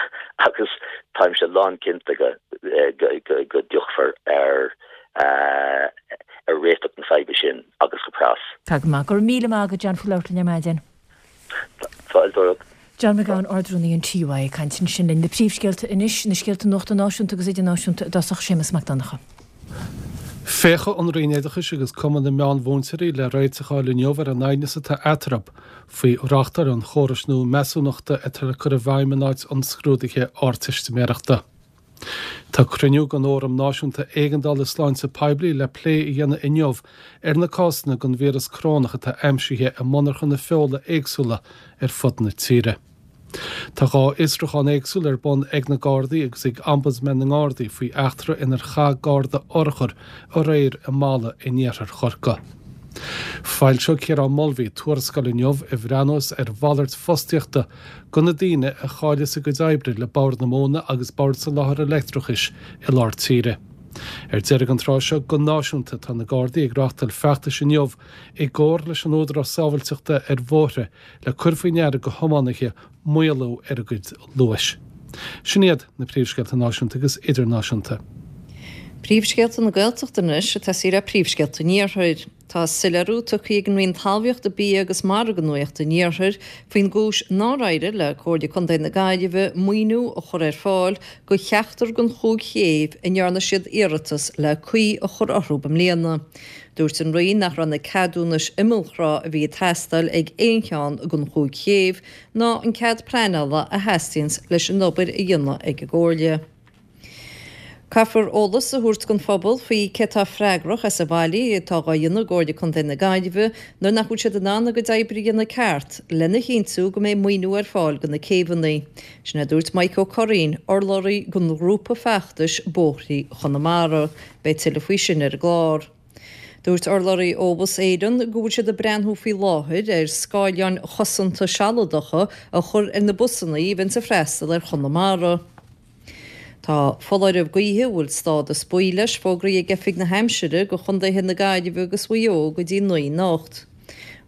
agus táimse lánchinnte go go dtiocfar ar ar réiteach na faidhbe sin agus go pras. Tá go maith. Go raibh míle maith agat John faoi labhairt linn ar maidin. Fáilte romhat. John McGowan, Ard-Rúnaí an TUI ag caint ansin linn. Na príomhscéalta anois, na scéalta nuachta náisiúnta agus idirnáisiúnta i dtosach, Séamus Mac Donncha. Féachfaidh an Roinn Oideachais agus Cumann na Meán-Mhúinteoirí le réiteach a fháil inniu ar an aighneas atá eatarthu faoi reáchtáil an chórais nua measúnachta atá le cur i bhfeidhm in áit an scrúdaithe Ardteistiméireachta. Tá cruinniú den Fhóram Náisiúnta Éigeandála Sláinte Poiblí le plé a dhéanamh inniu ar na cásanna den víreas corónach atá aimsithe i monarchana feola éagsúla ar fud na tíre. Tá 2 fhiosrúchán éagsúil ar bun ag na Gardaí agus ag Ombudsman na nGardaí faoi eachtra inar chaith Garda urchar aréir i mBalla in iarthar Chorcaí. Foilseoidh Ciarán Mulvey tuarascáil inniu a bhreathnós ar mhalairt fostaíochta do na daoine a chailleas a gcuid oibre le Bord na Móna agus Bord Soláthair Leictreachais i lár tíre. Ar deireadh an tráth seo, go náisiúnta, tá na Gardaí ag reáchtáil feachtais inniu i gcomhar leis an Údarás Sábhailteachta ar Bhóithre le cur faoi ndeara go thiománaithe maolú ar a gcuid luais. Sin iad na príomhscéalta náisiúnta agus idirnáisiúnta. Príomhscéalta na Gaeltachta anois ag tosaí le príomhscéalta an Iarthair. Tá soiléiriú tugtha ag an Roinn Talmhaíochta, Bia agus Mara do Nuacht an Iarthair faoin gcúis nár éirigh le Comhairle Contae na Gaillimhe maoiniú a chur ar fáil do cheachtar den chúig chéibh a ndearna siad iarratas le caoi a chur orthu i mbliana. Dúirt an Roinn nach raibh na ceadúnais imeallthrá a bhí ag teastáil ag aon cheann den chúig chéibh ná an cead pleanála a theastaíonns leis an obair a dhéanamh ag an gComhairle. Caithfear eolas a thabhairt don phobal faoi cé atá freagrach as an bhfaillí atá dhá dhéanamh ag Comhairle Contae na Gaillimhe nuair nach bhfuil siad in ann a gcuid oibre a dhéanamh ceart lena chinntiú go mbeidh maoiniú ar fáil do na céibheanna. Sin a dúirt Mike Ó Curraoin, urlabhraí don ghrúpa feachtais Bóithrí Chonamara. Beidh tuilleadh faoi sin ar an gclár. Dúirt urlabhraí ó Bhus Éireann go bhfuil siad ag breathnú faoi láthair ar scáileáin chosanta sealadacha a chur ar na busanna a bhíonns ag freastal ar Chonamara. Tá foláireamh gaoithe a bhfuil stádas buí leis fógraithe ag Oifig na hAimsire do chontaetha na Gaillimhe agus Mhaigh Eo go dtí 9 anocht.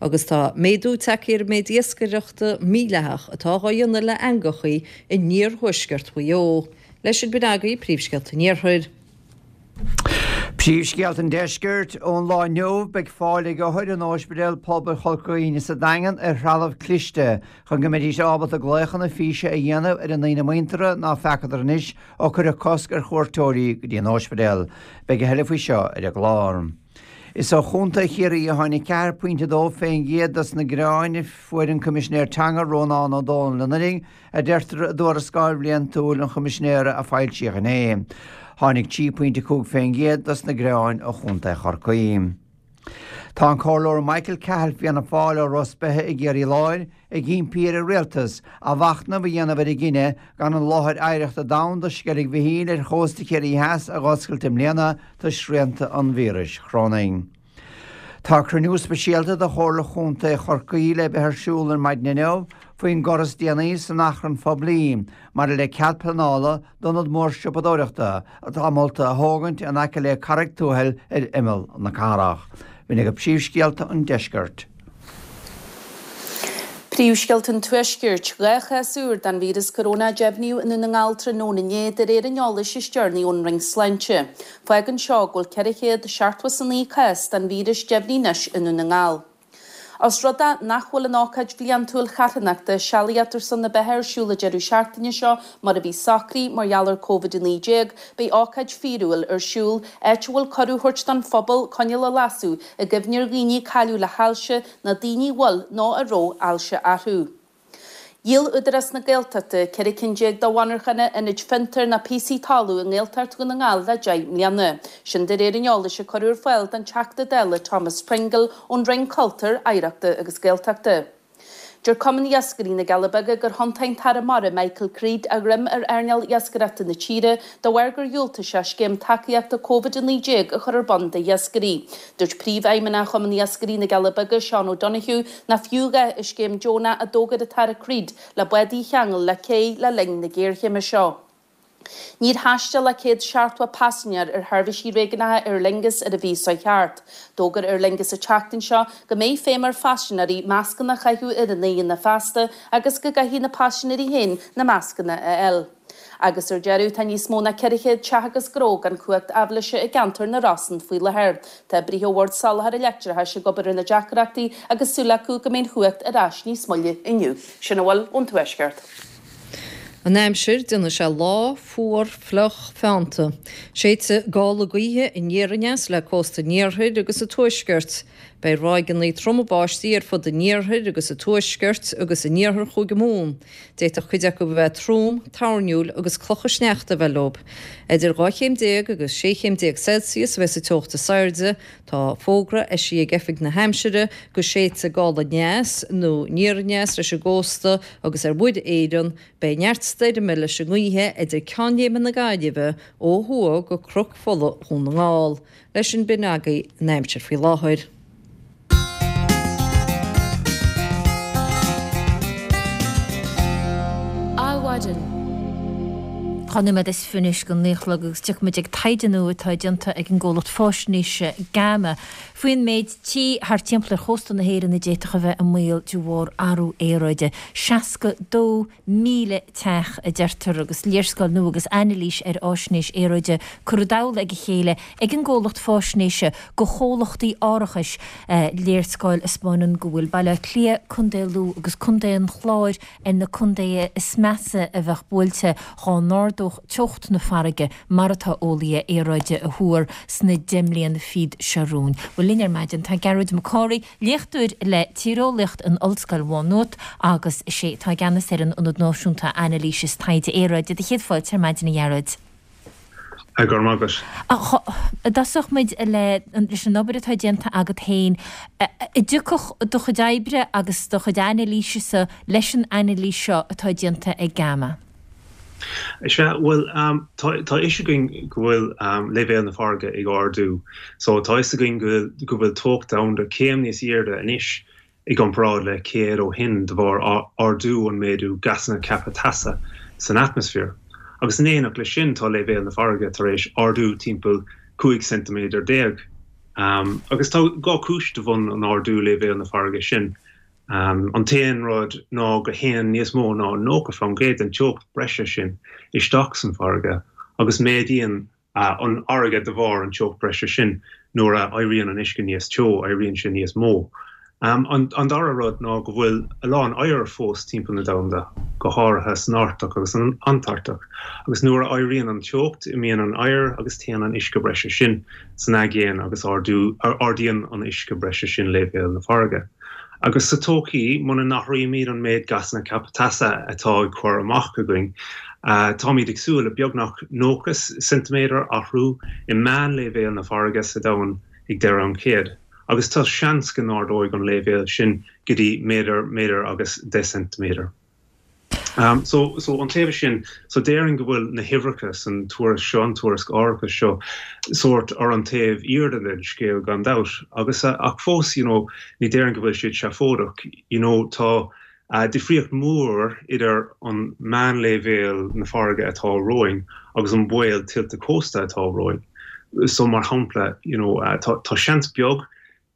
Agus tá méadú tagtha ar an méid iascaireachta mídhleathach atá dhá dhéanamh le eangachaí in iarthuaisceart Mhaigh Eo. Leis sin b'in agaibh príomhscéalta an Iarthair. Príomhscéalta an Deiscirt, Ón lá inniu, beidh fáil ag othair in Ospidéal Pobail Chorca Dhuibhne sa Daingean ar threalamh cliste chun go mbeidís ábalta glaochanna físe a dhéanamh ar a ndaoine muinteartha ná feacadar anois ó cuireadh cosc ar chuairteoirí go dtí an ospidéal. Beidh a thuilleadh faoi seo ar an gclár. Is ó Chontae Chiarraí a tháinig 4.2% dos na gearáin a fuair an Coimisinéir Teanga Rónán Ó Domhnaill anuraidh, a deirtear i dtuarascáil bhliantúil an Choimisinéara a foilsíodh inné. Tháinig 3.5% dos na gearáin ó Chontae Chorcaí. Tá an Comhairleoir Michael Cahill Fianna Fáil ó Ros Beithe i gCiarraí Láir ag impí ar an Rialtas athmhachnamh a dhéanamh ar a gcinneadh gan an láthair oidhreachta domhanda Sceilg Mhichíl ar chósta Chiarraí Theas a dh'oscailt i mbliana toisc srianta an víris chorónaigh. Tá cruinniú speisialta de Chomhairle Chontae Chorcaí le bheith ar siúl ar maidin inniu faoin gcor is déanaí san achrann phoiblí maidir le cead pleanála d'ionad mór siopadóireachta atá molta a thógaint in aice le Carraig Tuathail ar imeall na cathrach. B'in agaibh príomhscéalta an deiscirt. Príomhscéalta an Tuaiscirt, 2 chás úr den víreas coróna a deimhníodh i nDún na nGall tráthnóna inné, de réir an eolais is deireanaí ón Roinn Sláinte. Fágann seo go bhfuil 479 cás den víreas deimhnithe anois i nDún na nGall. Os rud é nach bhfuil an ócáid bhliantúil charthanachta Sealaíocht ar son na Beatha ar siúl an deireadh seachtaine seo mar a bhí socraithe mar gheall ar Covid-19, beidh ócáid fíorúil ar siúl, áit a bhfuil cuireadh á thabhairt don phobal coinneal a lasadh i gcuimhne ar dhaoine a cailleadh le hailse nó daoine a bhfuil nó a raibh ailse orthu. Dhíol Údarás na Gaeltachta 14 cinn de mhonarchana, ionaid fiontair ná píosaí talún i nGaeltacht Dhún na nGall le 10 mbliana. Sin de réir an eolais a cuireadh ar fáil don Teachta Dála Thomas Pringle ón Roinn Cultúir, Oidhreachta agus Gaeltachta. Deir Cumann Iascairí na gCealla Beaga gur thiontaigh an tAire Mara Michael Creed a dhroim ar earnáil iascaireachta na tíre de bharr gur dhiúltaigh sé scéim tacaíochta Covid-19 a chur ar bun d'iascairí. Dúirt Príomhfheidhmeannach Chumann Iascairí na gCealla Beaga, Seán O'Donoghue, nach fiú a dhath an scéim deonach a d'fhógair an tAire Creed le bádaí a cheangal le cé le linn na géarchéime seo. Níor thaistil ach 170 paisinéir ar sheirbhísí réigiúnacha Aer Lingus ar an mhí seo thart. D'fhógair Aer Lingus an tseachtain seo go mbeidh feidhm ar phaisinéirí mascanna a chaitheamh ar a n-aghaidheanna feasta agus go gcaithfidh na paisinéirí féin na mascanna a fháil. Agus ar deireadh, tá níos mó ná 400 teach agus gnó gan cumhacht aibhléise i gceantar na Rosann faoi láthair. Tá oibrithe ó Bhord Soláthair an Leictreachais ag obair ar na deacrachtaí agus súil acu go mbeidh an chumhacht ar ais níos moille inniu. Sin a bhfuil ón Tuaisceart. An aimsir, déanfaidh sé lá fuar fliuch feannta. Séidfidh gála gaoithe aniar aneas le cósta an iarthair agus an tuaiscirt. Beidh ráigeanna troma báistí ar fud an iarthair agus an tuaiscirt agus in iarthar Chúige Mumhan. D'fhéadfadh cuid acu a bheith trom, toirniúil agus clocha sneachta a bheith leo. Idir 12 chéim agus 16 chéim Celsius a bheas an teocht is airde. Tá fógra eisithe ag Oifig na hAimsire go séidfidh gála aneas nó aniar aneas leis an gcósta agus ar Mhuir Éireann. Beidh neart stoirme leis an ngaoithe idir Ceann Léime na Gaillimhe ó thuaidh go Cnoc Fola Dhún na nGall. Leis sin b'in agaibh an aimsir faoi láthair. maidin. 12 nóiméad anois go 9 a chlog agus tiocfaidh muid ag taighde nua atá déanta ag an gcomhlacht fáisnéise GAMA faoin méid tí thart timpeall ar chósta na hÉireann a d'fhéadfadh a bheith i mbaol de bharr athrú aeráide. 62,000 teach, a deirtear, agus léarscáil nua agus anailís ar fháisnéis aeráide curtha i dtoll a chéile ag an gcomhlacht fáisnéise go chomhlachtaí árachais, léarscáil a 'spáineann go bhfuil Baile Átha Cliath, Contae Lú agus Contae an Chláir ar na contaetha is measa a bheadh buailte dhá n-ardódh teocht na farraige mar atá eolaithe aeráide a thuar sna 10 mbliana fichead seo romhainn. Bhuel linn ar maidin tá Gearóid Mac Cárthaigh, léachtóir le Tíreolaíocht in Ollscoil Mhá Nuat agus is é atá i gceannas ar an Ionad Náisiúnta Anailíse is Taighde Aeráide. Do chéad fáilte ar maidin a Ghearóid. Go raibh maith agat. An dtosódh muid leis an obair atá déanta agat féin. An dtiocfadh do chuid oibre agus do chuid anailísese leis an anailís seo atá déanta ag GAMA? Sea, bhuel, tá a fhios againn go bhfuil leibhéal na farraige ag ardú. So tá a fhios againn go bhfuil teocht domhanda céim níos airde anois i gcomparáid le 100 ó shin de bharr ardú an méadú gasanna ceaptha teasa san atmaisféar. Agus in éineacht leis sin tá leibhéal na farraige tar éis ardú timpeall 15 ceintiméadar. Agus tá dhá chúis de bhun an ardú leibhéal na farraige sin. An t-aon rud ná go théann níos mó ná 90% den teocht breise sin isteach san farraige agus méadaíonn an fharraige de bharr an teocht breise sin. Nuair a éiríonn an uisce níos teo, éiríonn sé níos mó. An dara rud ná go bhfuil a lán oighir fós timpeall na domhanda, go háirithe san Artach agus san Antartach, agus nuair a éiríonn an teocht, imíonn an oighear agus téann an uisce breise sin san aigéan agus ardaíonn an uisce breise sin leibhéal na farraige. Agus sa todhchaí, muna n-athraímid an méid gasanna ceaptha teasa atá ag cur amach againn, táimid ag súil le beagnach 90 ceintiméadar athrú i meánleibhéal na farraige sa domhan ag deireadh an chéid, agus tá seans go n-ardóidh an leibhéal sin go dtí méadar, méadar agus 10 ceintiméadar. So, so an taobh sin, so déarfainn go bhfuil na huimhreacha san tuairisc seo, an tuairisc árachais seo, sórt ar an taobh fhíor den scéal gan dabht. Agus, ach fós, you know, ní déarfainn go bhfuil siad seafóideach. You know, tá difríocht mhór idir an meánleibhéal na farraige atá romhainn agus an baol tuilte cósta atá romhainn. So mar shampla, you know, tá, tá seans beag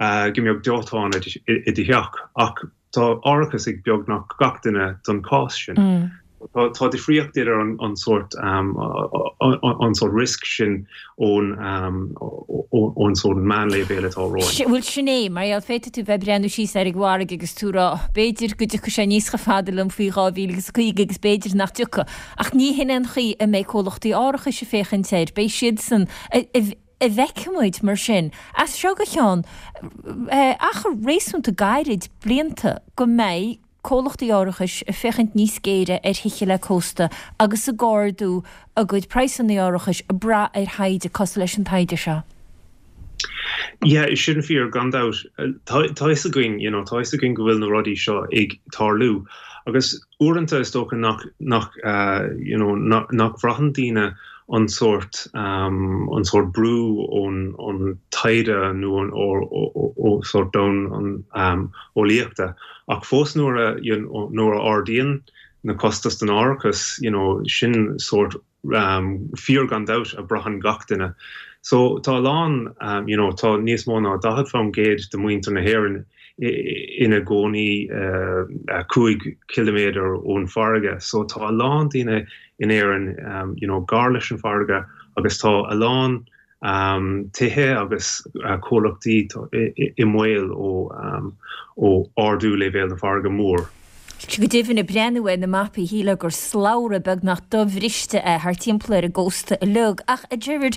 go mbeadh dóiteán i do theach ach tá árachas ag beagnach gach duine don chás sin. Tá difríocht idir an sórt an sórt risk sin ón ón sórt meánleibhéal atá romhainn. Bhuel sin é, mar gheall féadfaidh tú bheith ag breathnú síos ar an bhfarraige agus tú ag rá b'fhéidir go dtiocfaidh sé aníos chomh fada liom faoi 2050 agus b'fhéidir nach dtiocfaidh. Ach ní hin é an chaoi a mbeidh comhlachtaí árachais ag féachaint air, beidh siadsan An bhfeicfidh muid, mar sin, as seo go ceann achar réasúnta gairid blianta go mbeidh comhlachtaí árachais ag féachaint níos géire ar thithe le cósta agus ag ardú a gcuid praghsanna árachais ag brath ar thaighde cosúil leis an taighde seo. Yeah, sin fíor, gan dabht. Tá a fhios againn, you know, tá a fhios againn go bhfuil na rudaí seo ag tarlú agus uaireanta is dócha nach, nach, you know, nach bhraitheann daoine an sórt, an sórt brú ón, ón taighde nó ón, ó, ó sórt domhan an eolaíochta. Ach fós nuair a, you know, nuair a ardaíonn na costais don árachas, you know, sin sórt fíor gan dabht a braitheann gach duine. So tá a lán, you know, tá níos mó ná 40% de mhuintir na hÉireann ina gcónaí 5 chiliméadar ón bhfarraige. So tá a lán daoine in Éirinn, you know, gar leis an bhfarraige agus tá a lán tithe agus comhlachtaí i mbaol ó ardú leibhéal na farraige mór. Go deimhin, ag breathnú ar na mapaí, shílfeá gur slabhra beagnach dobhriste é thart timpeall ar an gcósta uilig. Ach, a Gerard,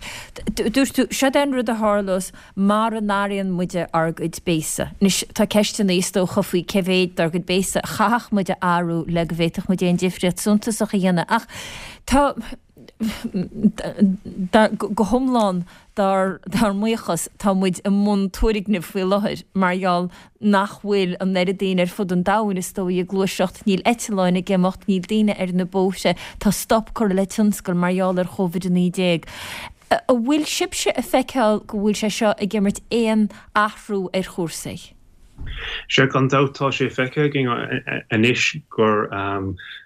dúirt tú, seod é an rud a tharlós mara n-athraíonn muide ár gcuid béasa. Anois, tá ceisteanna, is dócha, faoi cé mhéid dár gcuid béasa a chaithfeadh muid a athrú le go bhféadfadh muid aon difríocht suntasach a dhéanamh. Ach tá. Go hiomlán dár mbuíochas, tá muid i mbun tuairgnimh faoi láthair mar gheall nach bhfuil an oiread daoine ar fud an domhain, is dóigh, ag gluaiseacht, níl eitleáin ag imeacht, níl daoine ar na bóithre, tá stop curtha le tionscal mar gheall ar Covid-19. An bhfuil sibhse ag feiceáil go bhfuil sé seo ag imirt aon athrú ar chúrsaí? Sea, gan dabht tá sé feicthe againn anois gur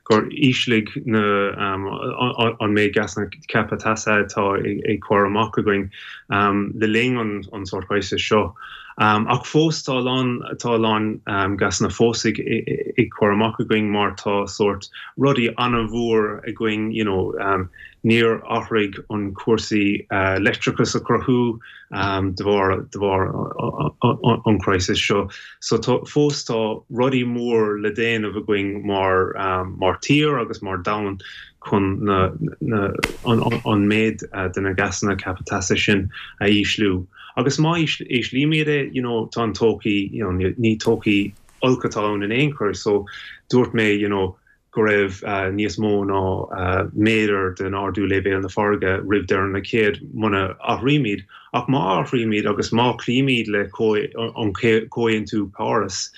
gur ísligh na an méid gasanna ceaptha teasa atá ag cur amach againn le linn an sórt crisis seo. Ach fós tá a lán tá a lán gasanna fós ag ag cur amach againn mar tá sórt rudaí an-mhór againn you know níor athraigh an cúrsaí leictreachas a chruthú de bharr de bharr an crisis seo. So tá fós tá rudaí mór le déanamh againn mar mar tír agus mar domhan chun na na an an méid de na gasanna ceaptha teasa sin a ísliú. Agus má íslímid é you know tá an todhchaí you know ní todhchaí olc atá ann in aon chor so dúirt mé you know go raibh níos mó ná méadar den ardú léibhéal na farraige roimh deireadh na céad muna athraímid. Ach má athraímid agus má chloímid le an Comhaontú Páras,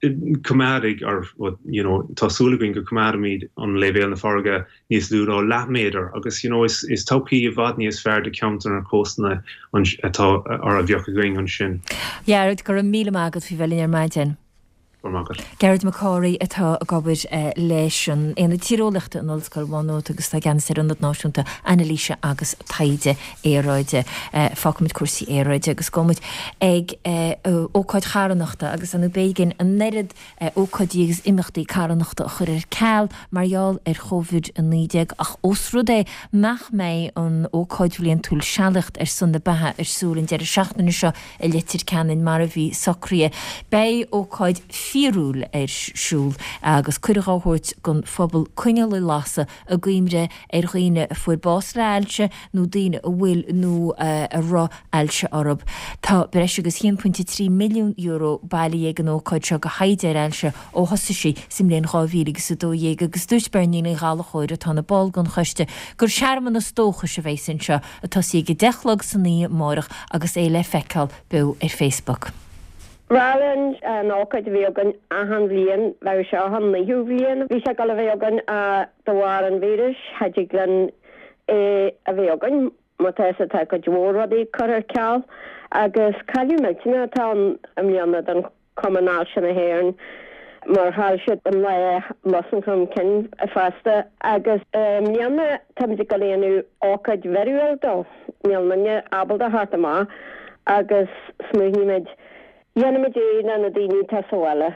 coimeádfaidh, or you know, tá súil againn go coimeádfaimid an léibhéal na farraige níos lú ná leathmhéadar agus you know, is is todhchaí i bhfad níos fearr do cheantar na cóstanna atá or a bheadh againn ansin. Gearóid, go raibh míle maith agat faoi bheith linn ar maidin. Go raibh maith agat. Gearóid Mac Cárthaigh atá ag obair leis an Aonad Tíreolaíochta in Ollscoil Mhá Nuad agus atá i gceannas ar Ionad Náisiúnta Anailíse agus Taighde Aeráide. Fágfaimid cúrsaí aeráide agus gabhfaimid ag ócáid charthanachta agus ar ndóigh b'éigean an oiread ócáidí agus imeachtaí carthanachta a chur ar ceal mar gheall ar Chóivid-19 ach ós rud é nach mbeidh an ócáid bhliantúil Sealaíocht ar son na Beatha ar siúl an deireadh seachtaine seo i Leitir Ceanainn mar a bhí socraithe. Beidh ócáid fíorúil ar siúl agus cuireadh á thabhairt don phobal coinneal a lasadh i gcuimhne ar dhaoine a fuair bás le hailse nó daoine a bhfuil nó a raibh ailse orthu. Tá breis agus €1.3 milliún bailithe ag an ócáid seo do thaighde ar ailse ó thosaigh sí sa mbliain 2012 agus dúirt Beirní Ní Ghallchóir atá ina ball den choiste gur searmanas dóchais a bheas anseo ag tosaí ag 10 a chlog san oíche amárach agus é le feiceáil beo ar Facebook. Bhuel an ócáid a bhí againn achan bhliain, bheadh seo an naoú bhliain a bhí sé ag dul a bheith againn ach de bharr an víris cha dtig linn é a bheith againn mar tá fhios agat tá cuid mhór rudaí curtha ar ceal agus cailleadh millteanach atá ann i mbliana don Cumann Ailse na hÉireann mar chaill siad an lá Lusan Chun Cinn fosta agus i mbliana táimid ag dul a dhéanamh ócáid bhfíorúil dó. Níl aon duine ábalta a theacht amach agus smaoinímid, dhéanfaimid é le na daoine atá sa bhaile.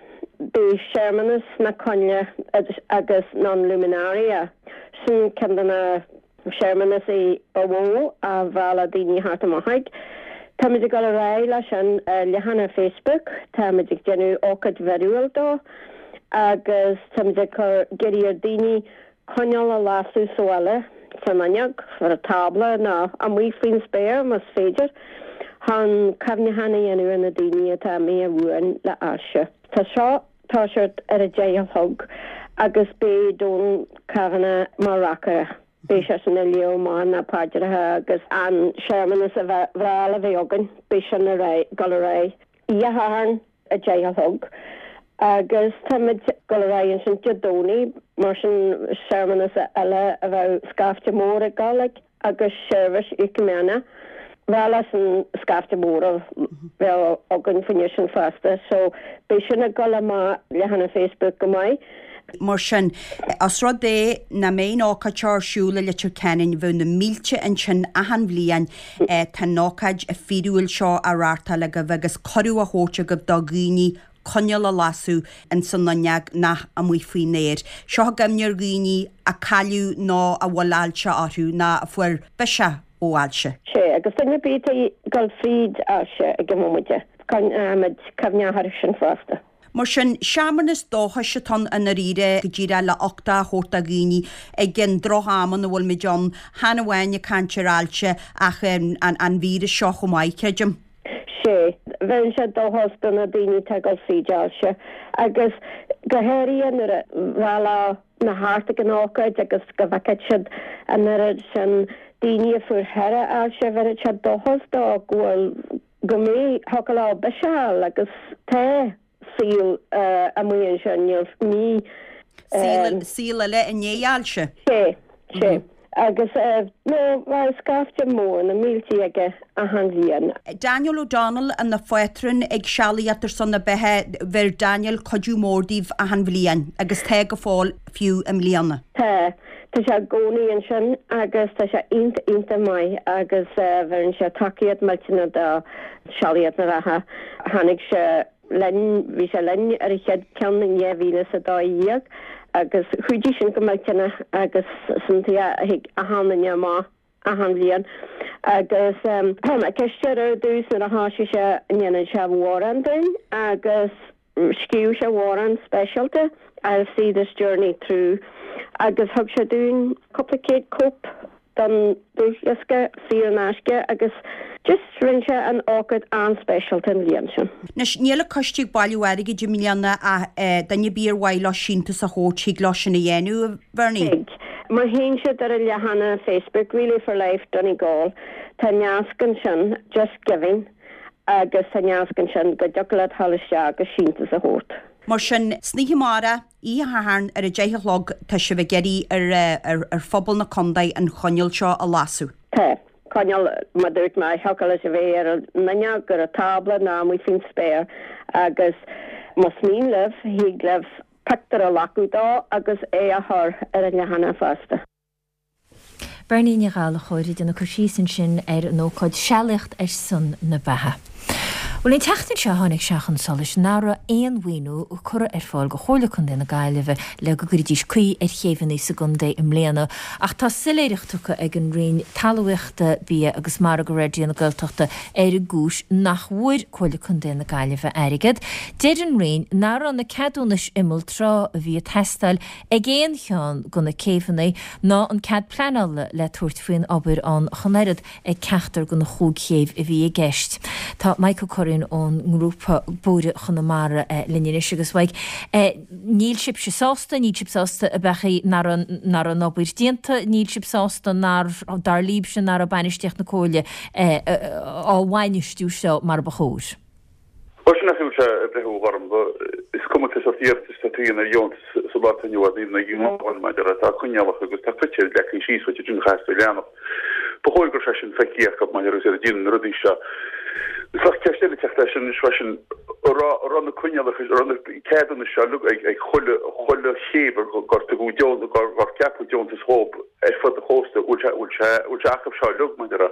Beidh searmanas na coinnle agus na luminaria, sin ceann de na searmanasaí ba mhó a mhealladh daoine thart amach ag. Táimid ag dul ar aghaidh leis sin ar leathanach Facebook, táimid ag déanamh ócáid bhfíorúil dó agus táimid ag cur ag iarraidh ar daoine coinneal a lasadh sa bhaile, san fhuinneog, ar an tábla nó amuigh faoin spéir más féidir, chun cuimhneachán a dhéanamh ar na daoine atá imithe uainn le ailse. Tá seo toiseacht ar a deich a chlog agus beidh Donal Kavanagh mar reacaire. Beidh seisean ag léamh amach na paidreacha agus an searmanas a bhreá le bheith againn. Beidh sin ar aghaidh, dul ar aghaidh Oíche Shathairn a deich a chlog agus táimid dul ar aghaidh ansin Dé Domhnaigh mar sin searmanas eile a bheadh scaifte mór ag dul ag. agus seirbhís ecumenica. Bhuel sin scaifte mór a bheadh againn faoin sin fosta so beidh sin ag dul amach leathanach Facebook go maith. Mar sin, os rud é nach mbeidh an ócáid seo ar siúl i Leitir Ceanainn, bheadh na mílte ansin achan bhliain, tá an ócáid fíorúil seo á reáchtáil agaibh agus cuireadh á thabhairt agaibh do dhaoine coinneal a lasadh ins an fhuinneog nó amuigh faoin aer. Seo i gcuimhne ar dhaoine a cailleadh nó a bhfuil ailse orthu nó a fuair biseach ó ailse. Sea, agus duine ar bith atá ag dul fríd ailse ag an bhomaite, coinneoimid cuimhne orthu sin fosta. Mar sin, searmanas dóchais atá ann i ndáiríre, go díreach le uchtach a thabhairt do dhaoine ag an droch-am ina bhfuilimid ann, chan amháin ag caint ar ailse ach an víreas seo chomh maith, creidim. Sea, bheireann sé dóchas do na daoine atá ag dul fríd ailse agus go háirithe nuair a mheallfadh na thart ag an ócáid agus go bhfeicfeadh siad an oiread sin daoine a fuair thoradh ailse, bheireadh sé dóchas dó go bhfuil, go mbeidh, thiocfadh leo biseach a fháil agus tá. saol amuigh ansin, níl, ní. Saol, saol eile i ndiaidh ailse. Sea, sea. Agus nó bheadh scaifte mór, na míltí aige achan bhliain. Daniel O'Donnell ina phátrún ag Sealaíocht ar son na Beatha, bheir Daniel cuidiú mór daoibh achan bhliain agus tá go fóill fiú i mbliana. Tá. Tá sé i gcónaí ansin agus tá sé iontach iontach maith agus bheireann sé tacaíocht millteanach do Sealaíocht na Beatha. Tháinig sé linn, bhí sé linn ar an chéad ceann in 2012 agus chuidigh sin go millteanach agus sin tuige a thig achan duine amach achan bhliain agus chuir mé ceist air ar dtús nuair a thoisigh sé an ndéanann sé amhrán dúinn agus scríobh sé amhrán speisialta I'll see this journey through agus thug sé dúinn cúpla céad cóip den dlúthdhiosca saor in aisce agus just rinne sé an ócáid an-speisialta an bhliain sin. Anois, níl an coiste ag bailiú airgid i mbliana ach duine ar bith ar mhaith leo síntiús a thabhairt thig leo sin a dhéanamh, a Bhernie? Thig. Má théann siad ar an leathanach Facebook, Relay for Life Donegal, tá nasc ansin, Just Giving, agus tá nasc ansin go dtiocfadh leat dhul isteach agus síntiús a thabhairt. Mar sin, san oíche amárach, oíche Shathairn ar a 10 a chlog, tá sibh ag iarraidh ar ar phobal na contae an choinneal seo a lasadh. Tá. Coinneal, mar dúirt mé, thiocfadh leis a bheith ar an fhuinneog, ar an tábla nó amuigh faoin spéir agus más mian libh, thig libh pictiúr a ghlacadh dó agus é a chur ar an leathanach fosta. Bernie Ní Ghallchóir ag déanamh cur síos ansin ar an ócáid Sealaíocht ar son na Beatha. Bhuel an tseachtain seo tháinig sé chun solais nach raibh aon mhaoiniú curtha ar fáil go Chomhairle Contae na Gaillimhe le go gcuirfidís caoi ar chéibheanna sa gcontae i mbliana ach tá soiléireacht tugtha ag an Roinn Talmhaíochta, Bia agus Mara go Raidió na Gaeltachta ar an gcúis nach bhfuair Comhairle Contae na Gaillimhe airgead. Deir an Roinn nach raibh na ceadúnais imeall trá a bhí ag teastáil ag aon cheann de na céibheanna ná an cead pleanála le tabhairt faoin obair ann ach an oiread ag ceachtar de na chúig chéibh a bhí i gceist. Tá Mike Ó Curraoin ón ngrúpa Bóithre Chonamara linn anois agus Mike, níl sibhse sásta, níl sibh sásta ab ea nach raibh an obair déanta, níl sibh sásta nár, dar libhse, nach raibh bainistíocht na Comhairle á bhainistiú seo mar ba chóir. Bhuel, sin é a bhfuil sé ag breithiú a Ghormfhlaith. Is cuma cé sórt iarratas atá tú a dhéanamh ar dheontas sa lá atá inniu ann, even ag an nGael maidir le tá coinníollacha agus tá critéir leagtha síos duit ansin a chaithfeas tú a leanacht. Ba chóir go raibh sé sin feicthe acu maidir agus iad ag déanamh na rudaí seo. Is bheadh ceist eile ag teacht leis sin anois freisin, an raibh an raibh na coinníollacha, an raibh na ceadúnais seo uilig ag ag chuile chuile chéibh gur tugadh deon gur gur ceapadh deontas dhóibh ar fud an chósta, bhfuil sé bhfuil sé bhfuil sé acu seo uilig maidir le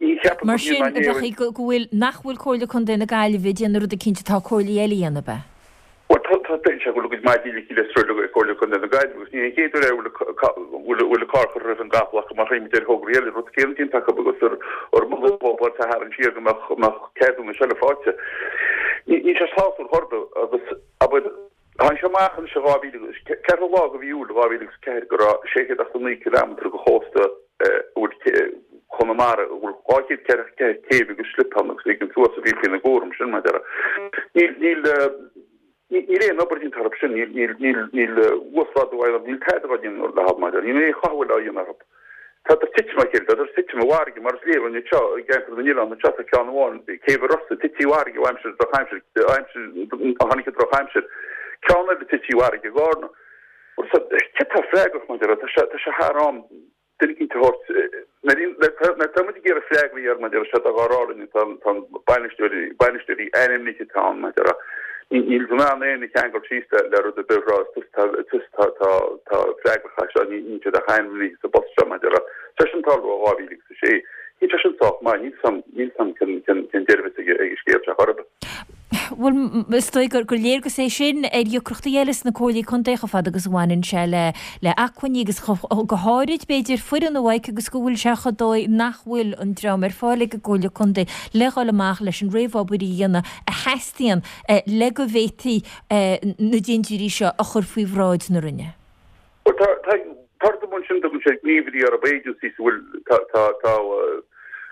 Ní cheapaim Mar sin, a bheadh go bhfuil, nach bhfuil Comhairle Contae na Gaillimhe ag déanamh rud eicínt atá comhairlí eile a dhéanamh, ab ea? Bhuel, tá, tá, deir sé go bhfuil a gcuid maidí ligthe le sruth ag Comhairle Contae na Gaillimhe agus ní hé an chéad uair é a bhfuil, bhfuil an carr curtha roimh an gcapall acu mar tchímid ar thograí eile, rud céanna déanta acu agus ar, ar moladh dóibh a tharraingt siar go mbeadh, mbeadh ceadúnais eile faighte. Ní, níl sé sásúil chor ar bith agus, abair, Tháinig sé amach anois i 2000 agus, ceathrú lá de mhí Iúil 2004 go raibh 689 cileámetar de chósta a bhfuil Chonamara, a bhfuil 244 céibh agus slip ann agus éigin suas a bhí faoina gcúram sin, mar a déarfá. Níl, níl, níl aon obair déanta orthu sin, níl, níl, níl, níl uasghrádú á dhéanamh, níl tada á dhéanamh leo, mar a déarfá, níl aon chothabháil á dhéanamh orthu. Tádar ag titim as a chéile, tádar ag titim i bhfarraige, mar is léir anseo i gceantar na n-oileán anseo, tá ceann amháin, Céibh an Rosa, tite i bhfarraige ó aimsir drochaimsir, aimsir, a tháinig an drochaimsir. Ceann eile tite i bhfarraige i gCárna. Bhuel, so, cé atá freagrach, mar a déarfá, tá sé, tá sé thar am duine eicínt a thabhairt, nuair atá muid ag iarraidh freagraí air, mar a déarfá, sé tá dhá rá linn, tá, tá an bainisteoirí, bainisteoirí ainmnithe atá ann, mar a déarfá. Níl in ann éinne a cheangal síos le rud ar bith a rá, is tusa atá freagrach as seo, níl siad ach ainmnithe sa bpost seo mar a déarfá. Tá sin ag tarlú ó 2006. Níl sé sin sách maith, níl 's a'm cén deireadh a bheas ag an scéal seo chor ar bith. Bhuel, is dóigh gur léargas é sin ar dheacrachtaí eile sna comhairlí contae chomh fada agus a bhaineann sé le le acmhainní agus go háirid, b'fhéidir, foireann a Mhaidhc agus go bhfuil sé chomh dóigh nach bhfuil an dream ar fáil ag an gComhairle Contae le dhul amach leis an réamhobair a dhéanamh a theastaíonn le go bhféadfaí na dintiúirí seo a chur faoi bhráid na Roinne. Bhuel, tá, tá, tá rud amháin sin, tugann siad gníomhairí orthu, agencies a bhfuil, tá, tá, tá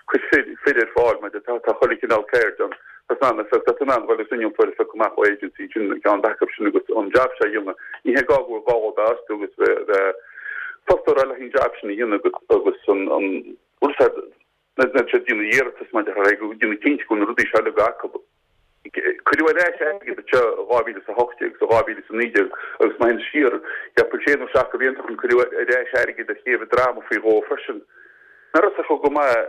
cuid fir, fir ar fáil mar tá, tá chuile chineál ceird ann. Tá san ann, tá tú in ann dhul agus innealtóir a phiocadh amach ó agency sin, ceann acu sin agus an jab seo a dhéanamh. Ní hé gá go bhfuil gá a bheith astu agus bheith, bheith fostóir eile an jab sin a dhéanamh agus, agus an, an, bhfuil sé, Nuair atá siad ag déanamh iarratas maidir le go déanamh cinnte go bhfuil na rudaí seo uilig acu. Cuireadh ar ais airgead anseo i 2018 agus 2019 agus má théann siar thimpeall sé nó seacht de bhlianta ó shin cuireadh ar ais airgead ar Chéibh an Droma faoi dhó freisin. Nach raibh fhios acu go maith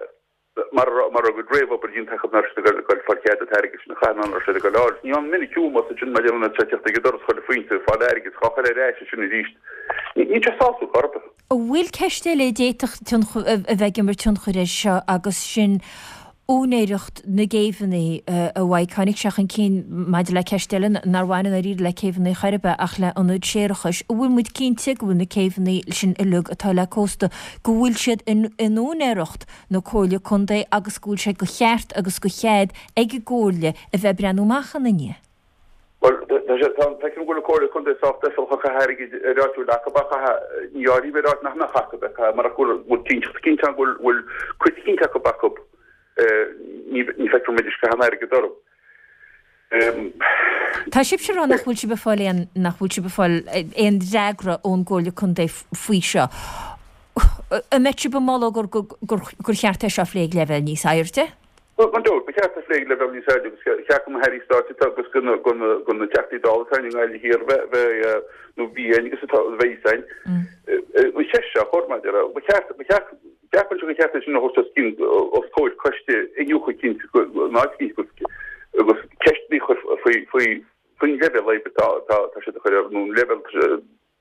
mar a raibh a gcuid réamhobair déanta acu nach raibh siad ag goil ag fáil cead an t-airgead sin a chaitheamh ná nach raibh siad ag goil a fháil. Ní an minic uaim os sin maidir lena teacht ag an doras chuile phointe ag fáil airgid dhá chur ar ais ansin arís. Níl sé sásúil chor ar bith. An bhfuil ceist eile a d'fhéadfadh a bheith ag imirt tionchair air seo agus sin úinéireacht na gcéibheanna a Mhaidhc. Tháinig sé chun cinn maidir le ceist eile nár bhain i ndáiríre le céibheanna chor ar bith ach le hionaid séarachais. An bhfuil muid cinnte go bhfuil na céibheanna sin uilig atá le cósta, go bhfuil siad in úinéireacht na Comhairle Contae agus go bhfuil sé de cheart agus de chead ag an gComhairle a bheith ag breathnú amach ina ndiaidh? Bhuel, tá sé, tá, feicim go bhfuil an Comhairle Contae sách deifreach ag caitheamh airgid ar áit a bhfuil acu ach caithfidh, ní áirím ar áit nach mbeadh acu ag caitheamh marach go bhfuil, bhfuil cinnteacht eicínt ann go bhfuil, bhfuil cuid eicínt acu acu, ní, ní feictear dom go mbeidís ag caitheamh an airgid orthu. Tá sibhse ag rá nach bhfuil sibh ag fáil aon, nach bhfuil sibh ag fáil aon fhreagra ón gComhairle Contae faoi seo. An mbeadh sibh ag moladh gur, gur, gur cheart é seo a phlé ag leibhéal níos airde? Bhuel, gan dabht, ba cheart a phlé ag leibhéal níos airde agus ba cheart do na hAirí Stáit atá agus do na Teachtaí Dála atá i nGaillimh Thiar bheith, bheith, nó bhí againn agus atá, a bheidh againn, an cheist seo a chur maidir le, ba cheart, ba cheart, ceapaimse gur cheart é sin a thabhairt os cionn, os comhair coiste iniúchadh eicínt, in áit eicínt agus, agus ceisteanna a chur faoi, faoi, faoin leibhéal oibre atá, atá, atá siad a chur ar, nó an leibhéal,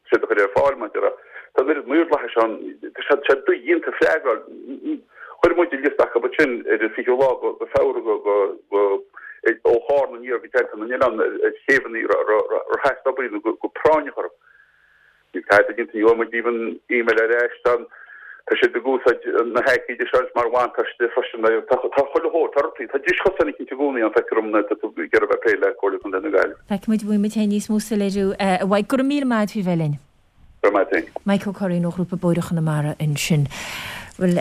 siad a chur ar fáil maidir le, tá an oiread maorlathais ann, tá sé tá sé dodhéanta freagra a fháil. Chuir muid an liosta acu ansin ar an 20ú lá de Feabhra go go go ó Chárna aniar go Teannta na nOileán ar chéibheanna ar theastaigh obair nó go práinneach orthu. Níl tada déanta, ní bhfuair muid even email ar ais, tá tá siad ag úsáid na haicíde seo anois mar bhuntáiste freisin. Tá tá chuile shórt, tá rudaí, tá dris chosáin eicínt i gcónaí ann feictear dom nuair atá tú ag iarraidh bheith ag plé le Comhairle Contae na Gaillimhe. Feicfidh muid, bhfaighidh muid féin níos mó soiléiriú a Mhaidhc. Go raibh míle maith agat faoi bheith linn. Go raibh maith agat féin. Maidhc Ó Curraoin ó Ghrúpa Bóithre Chonamara ansin. Bhuel,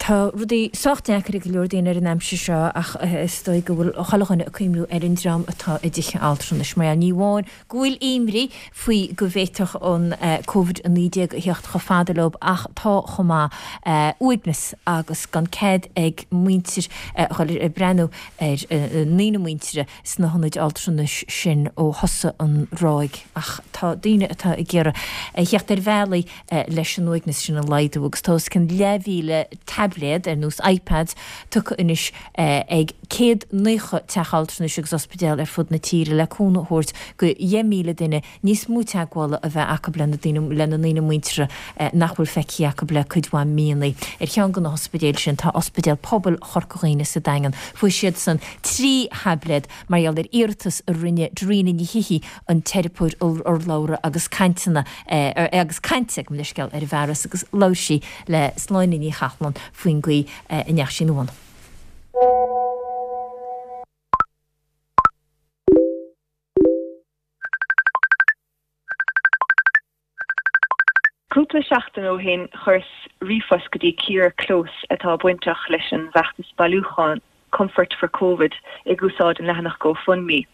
tá rudaí sách deacair ag go leor daoine ar an aimsir seo ach is dóigh go bhfuil chuile dhuine ag cuimhniú ar an dream atá i dtithe altranais. Mar ní amháin go bhfuil imní faoi go bhféadfadh an Covid-19 a theacht chomh fada leo ach tá chomh maith uaigneas agus gan cead ag muintir a dhul ag breathnú ar a ndaoine muinteartha sna hionaid altranais sin ó thosaigh an ráig. Ach tá daoine atá ag iarraidh a theacht ar bhealaí leis an uaigneas sin a laghdú agus tá os cionn leathmhíle taibléad, ar nós iPads, tugtha anois ag 190 teach altranais agus ospidéal ar fud na tíre le cúnamh a thabhairt go 10,000 duine níos mó teagmhála a bheith acu lena ndaoine muinteartha nach bhfuil feicthe acu le cuid mhaith míonna. Ar cheann de na hospidéil sin tá Ospidéal Pobail Chorca Dhuibhne sa Daingean. Fuair siadsan 3 thaibléad mar gheall ar iarratas a rinne Darina Ní Shíthigh, an teiripeoir urlabhra agus cainteanna agus cainte, gabh mo leithscéal, ar an bhfearas agus labhair sí le Sláine Ní Chathalláin faoin gcaoi a ndeachaigh sí ina bhun. Cúpla seachtain ó shin chuireas ríomhphost go dtí Ciara Close atá bainteach leis an bhfeachtas bailiúcháin Comfort for Covid ag úsáid an leathanach GoFundMe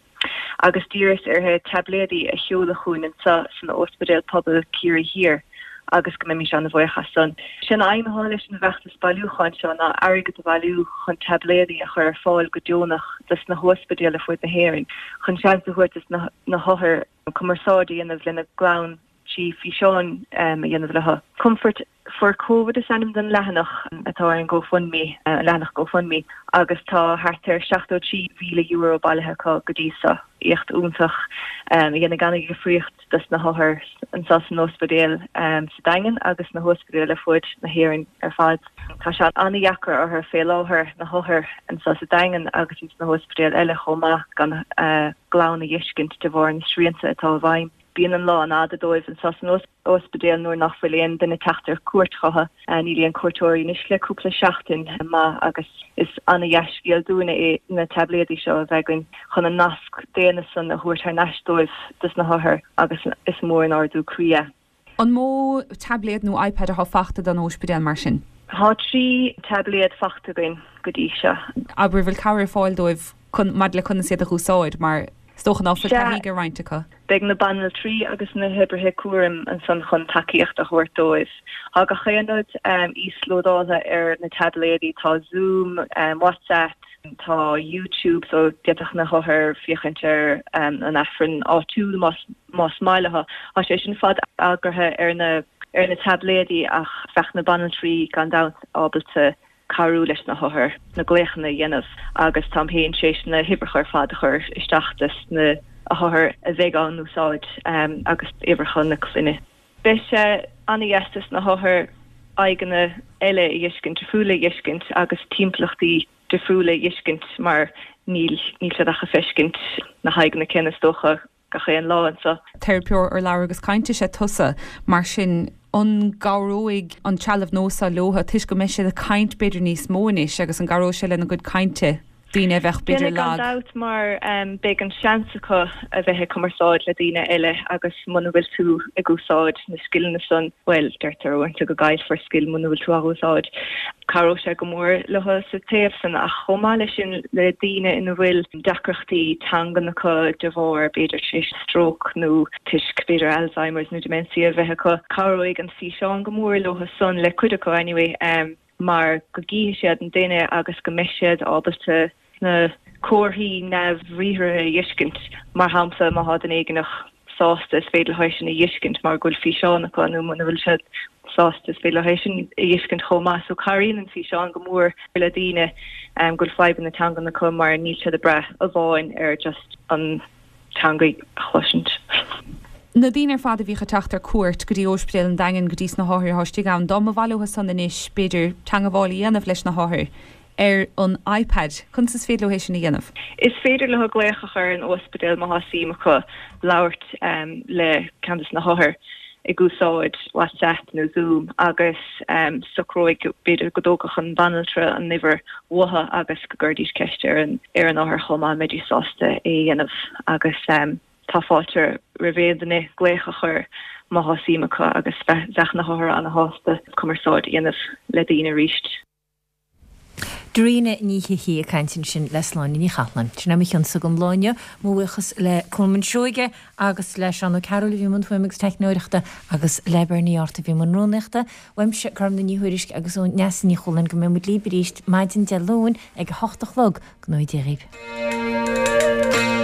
agus d'iarras uirthi taibléadaí a sheoladh chugainn anseo san Óispidéal Pobail Ciarraí Thiar agus go mbeimis an-bhuíoch as san. Sé an aidhm atá leis an bhfeachtas bailiúcháin seo ná airgead a bhailiú chun taibléadaí a chur ar fáil go deonach dos na hóispidéil ar fud na hÉireann chun seans a thabhairt dos na hothair cumarsáid a dhéanamh lena gclann trí físeáin a dhéanamh leo. Comfort for Covid is ainm don leathanach atá ar an GoFundMe, an leathanach GoFundMe, agus tá thart ar €73,000 bailithe acu go dtí seo. Éacht iontach a dhéanfaidh an-dhifríocht dos na hothair anseo san ospidéal sa Daingean agus sna hóispidéil ar fud na hÉireann ar fad. Tá sé an-dheacair orthu fé láthair, na hothair anseo sa Daingean agus ins na hóispidéil eile chomh maith, gan a gclann a dh'fheiscint de bharr na srianta atá i bhfeidhm. Bíonn an lá an-fhada dóibh anseo san ospidéal nuair nach bhfuil aon duine teacht ar cuairt chucu. Níl aon cuairteoirí anois le cúpla seachtain maith agus is ana-dhea-scéal dúinne é na taibléadaí seo a bheith againn chun an nasc daonna san a thabhairt thar n-ais dóibh dos na hothair agus is mór an ardú croí é. An mó taibléad nó iPad atá fachta don óispidéal mar sin? Tá 3 taibléad fachta againn go dtí seo. Abair, bhfuil cabhair ar fáil dóibh chun, maidir le conas iad a dh'úsáid mar is dócha ná fuil taithí ag roinnt acu? Beidh na banaltraí agus na hoibrithe cúraim ansan chun tacaíocht a thabhairt dóibh. Tá gach aon rud íoslódáltha ar na taibléadaí, tá Zoom, WhatsApp. Tá YouTube so d'fhéadfadh na hothair féachaint ar an Aifreann áitiúil más más maith leo. Tá sé sin fad eagraithe ar na ar na taibléadaí ach bheadh na banaltraí gan dabht ábalta cabhrú leis na hothair na glaochanna a dhéanamh agus táim féin tar éis na huimhreacha ar fad a chur isteach dos na hothair a bheidh á n-úsáid agus uimhreacha na clainne. Beidh sé an-dheas dos na hothair aghaidheanna eile a dh'fheiscint, difriúla a dh'fheiscint agus timpeallachtaí difriúla a dh'fheiscint mar níl níl siad ach ag feiscint na haghaidheanna céanna is dócha gach aon lá anso. Teiripeoir urlabhra agus cainte is ea tusa, mar sin an gcabhróidh an trealamh nua seo leo toisc go mbeidh siad ag caint b'fhéidir níos mó anois agus an gcabhróidh sé lena gcuid cainte, daoine a bheadh b'fhéidir Déanfaidh gan lag? dabht mar beidh an seans acu a bheith ag cumarsáid le daoine eile agus muna bhfuil tú ag úsáid na scileanna san, bhuel, deirtear uaireanta go gcaillfear scil muna bhfuil tú á úsáid. Cabhróidh sé go mór leo sa taobh san ach chomh maith leis sin le daoine ina bhfuil deacrachtaí teangan acu de bharr b'fhéidir tar éis stróc nó toisc b'fhéidir Alzheimer's nó dementia a bheith acu, cabhróidh an físeán go mór leo san, le cuid acu anyway, mar go gcífidh siad an duine agus go mbeidh siad ábalta na comharthaí neamhbhriathartha a dh'fheiscint. Mar shampla, má thá duine éigineach sásta, is féidir leo é sin a dh'fheiscint mar go bhfuil físeán acu nó muna bhfuil siad sásta, is féidir leo é sin a dh'fheiscint chomh maith. So cabhraíonn an físeán go mór le daoine go bhfuil fadhbanna teangan acu mar níl siad ag brath amháin ar just an teanga a chloisint. Na daoine ar fad a bhíodh ag teacht ar cuairt go dtí Óispidéal an Daingin, go dtí sna hothair atá istigh ann, dá mba mhaith leo san anois, b'fhéidir, teangabháil a dhéanamh leis na hothair, ar an iPad. Conas is féidir leo é sin a dhéanamh? Is féidir leo glaoch a chur ar an ospidéal má thá suim acu labhairt le ceann de na hothair ag úsáid WhatsApp nó Zoom agus socróidh b'fhéidir go dtógfadh an bhanaltra an uimhir uathu agus go gcuirfidís ceist ar an ar an othar chomh maith an mbeidís sásta é a dhéanamh agus tá fáilte roimh aon duine glaoch a chur má thá suim acu agus bheadh na hothair ana-shásta cumarsáid a dhéanamh le daoine arís. Dairena Ní Shíthigh ag caint ansin le Sláine Ní Chathalláin. Sin é mo chionsa don lá inniu. Mo bhuíochas le Colman Seoige agus le Seán Ó Cearúil a bhí i mbun fuaime agus teicneoireachta agus le Bernie Arthur a bhí i mbun rúnaíochta. Uaimse, Gormlaith Ní Thuairisg agus ó Neasa Ní Chualáin go mbeidh muid libh arís maidin Dé Luain ag a hocht a chlog. Go ngnóthaí Dia dhaoibh.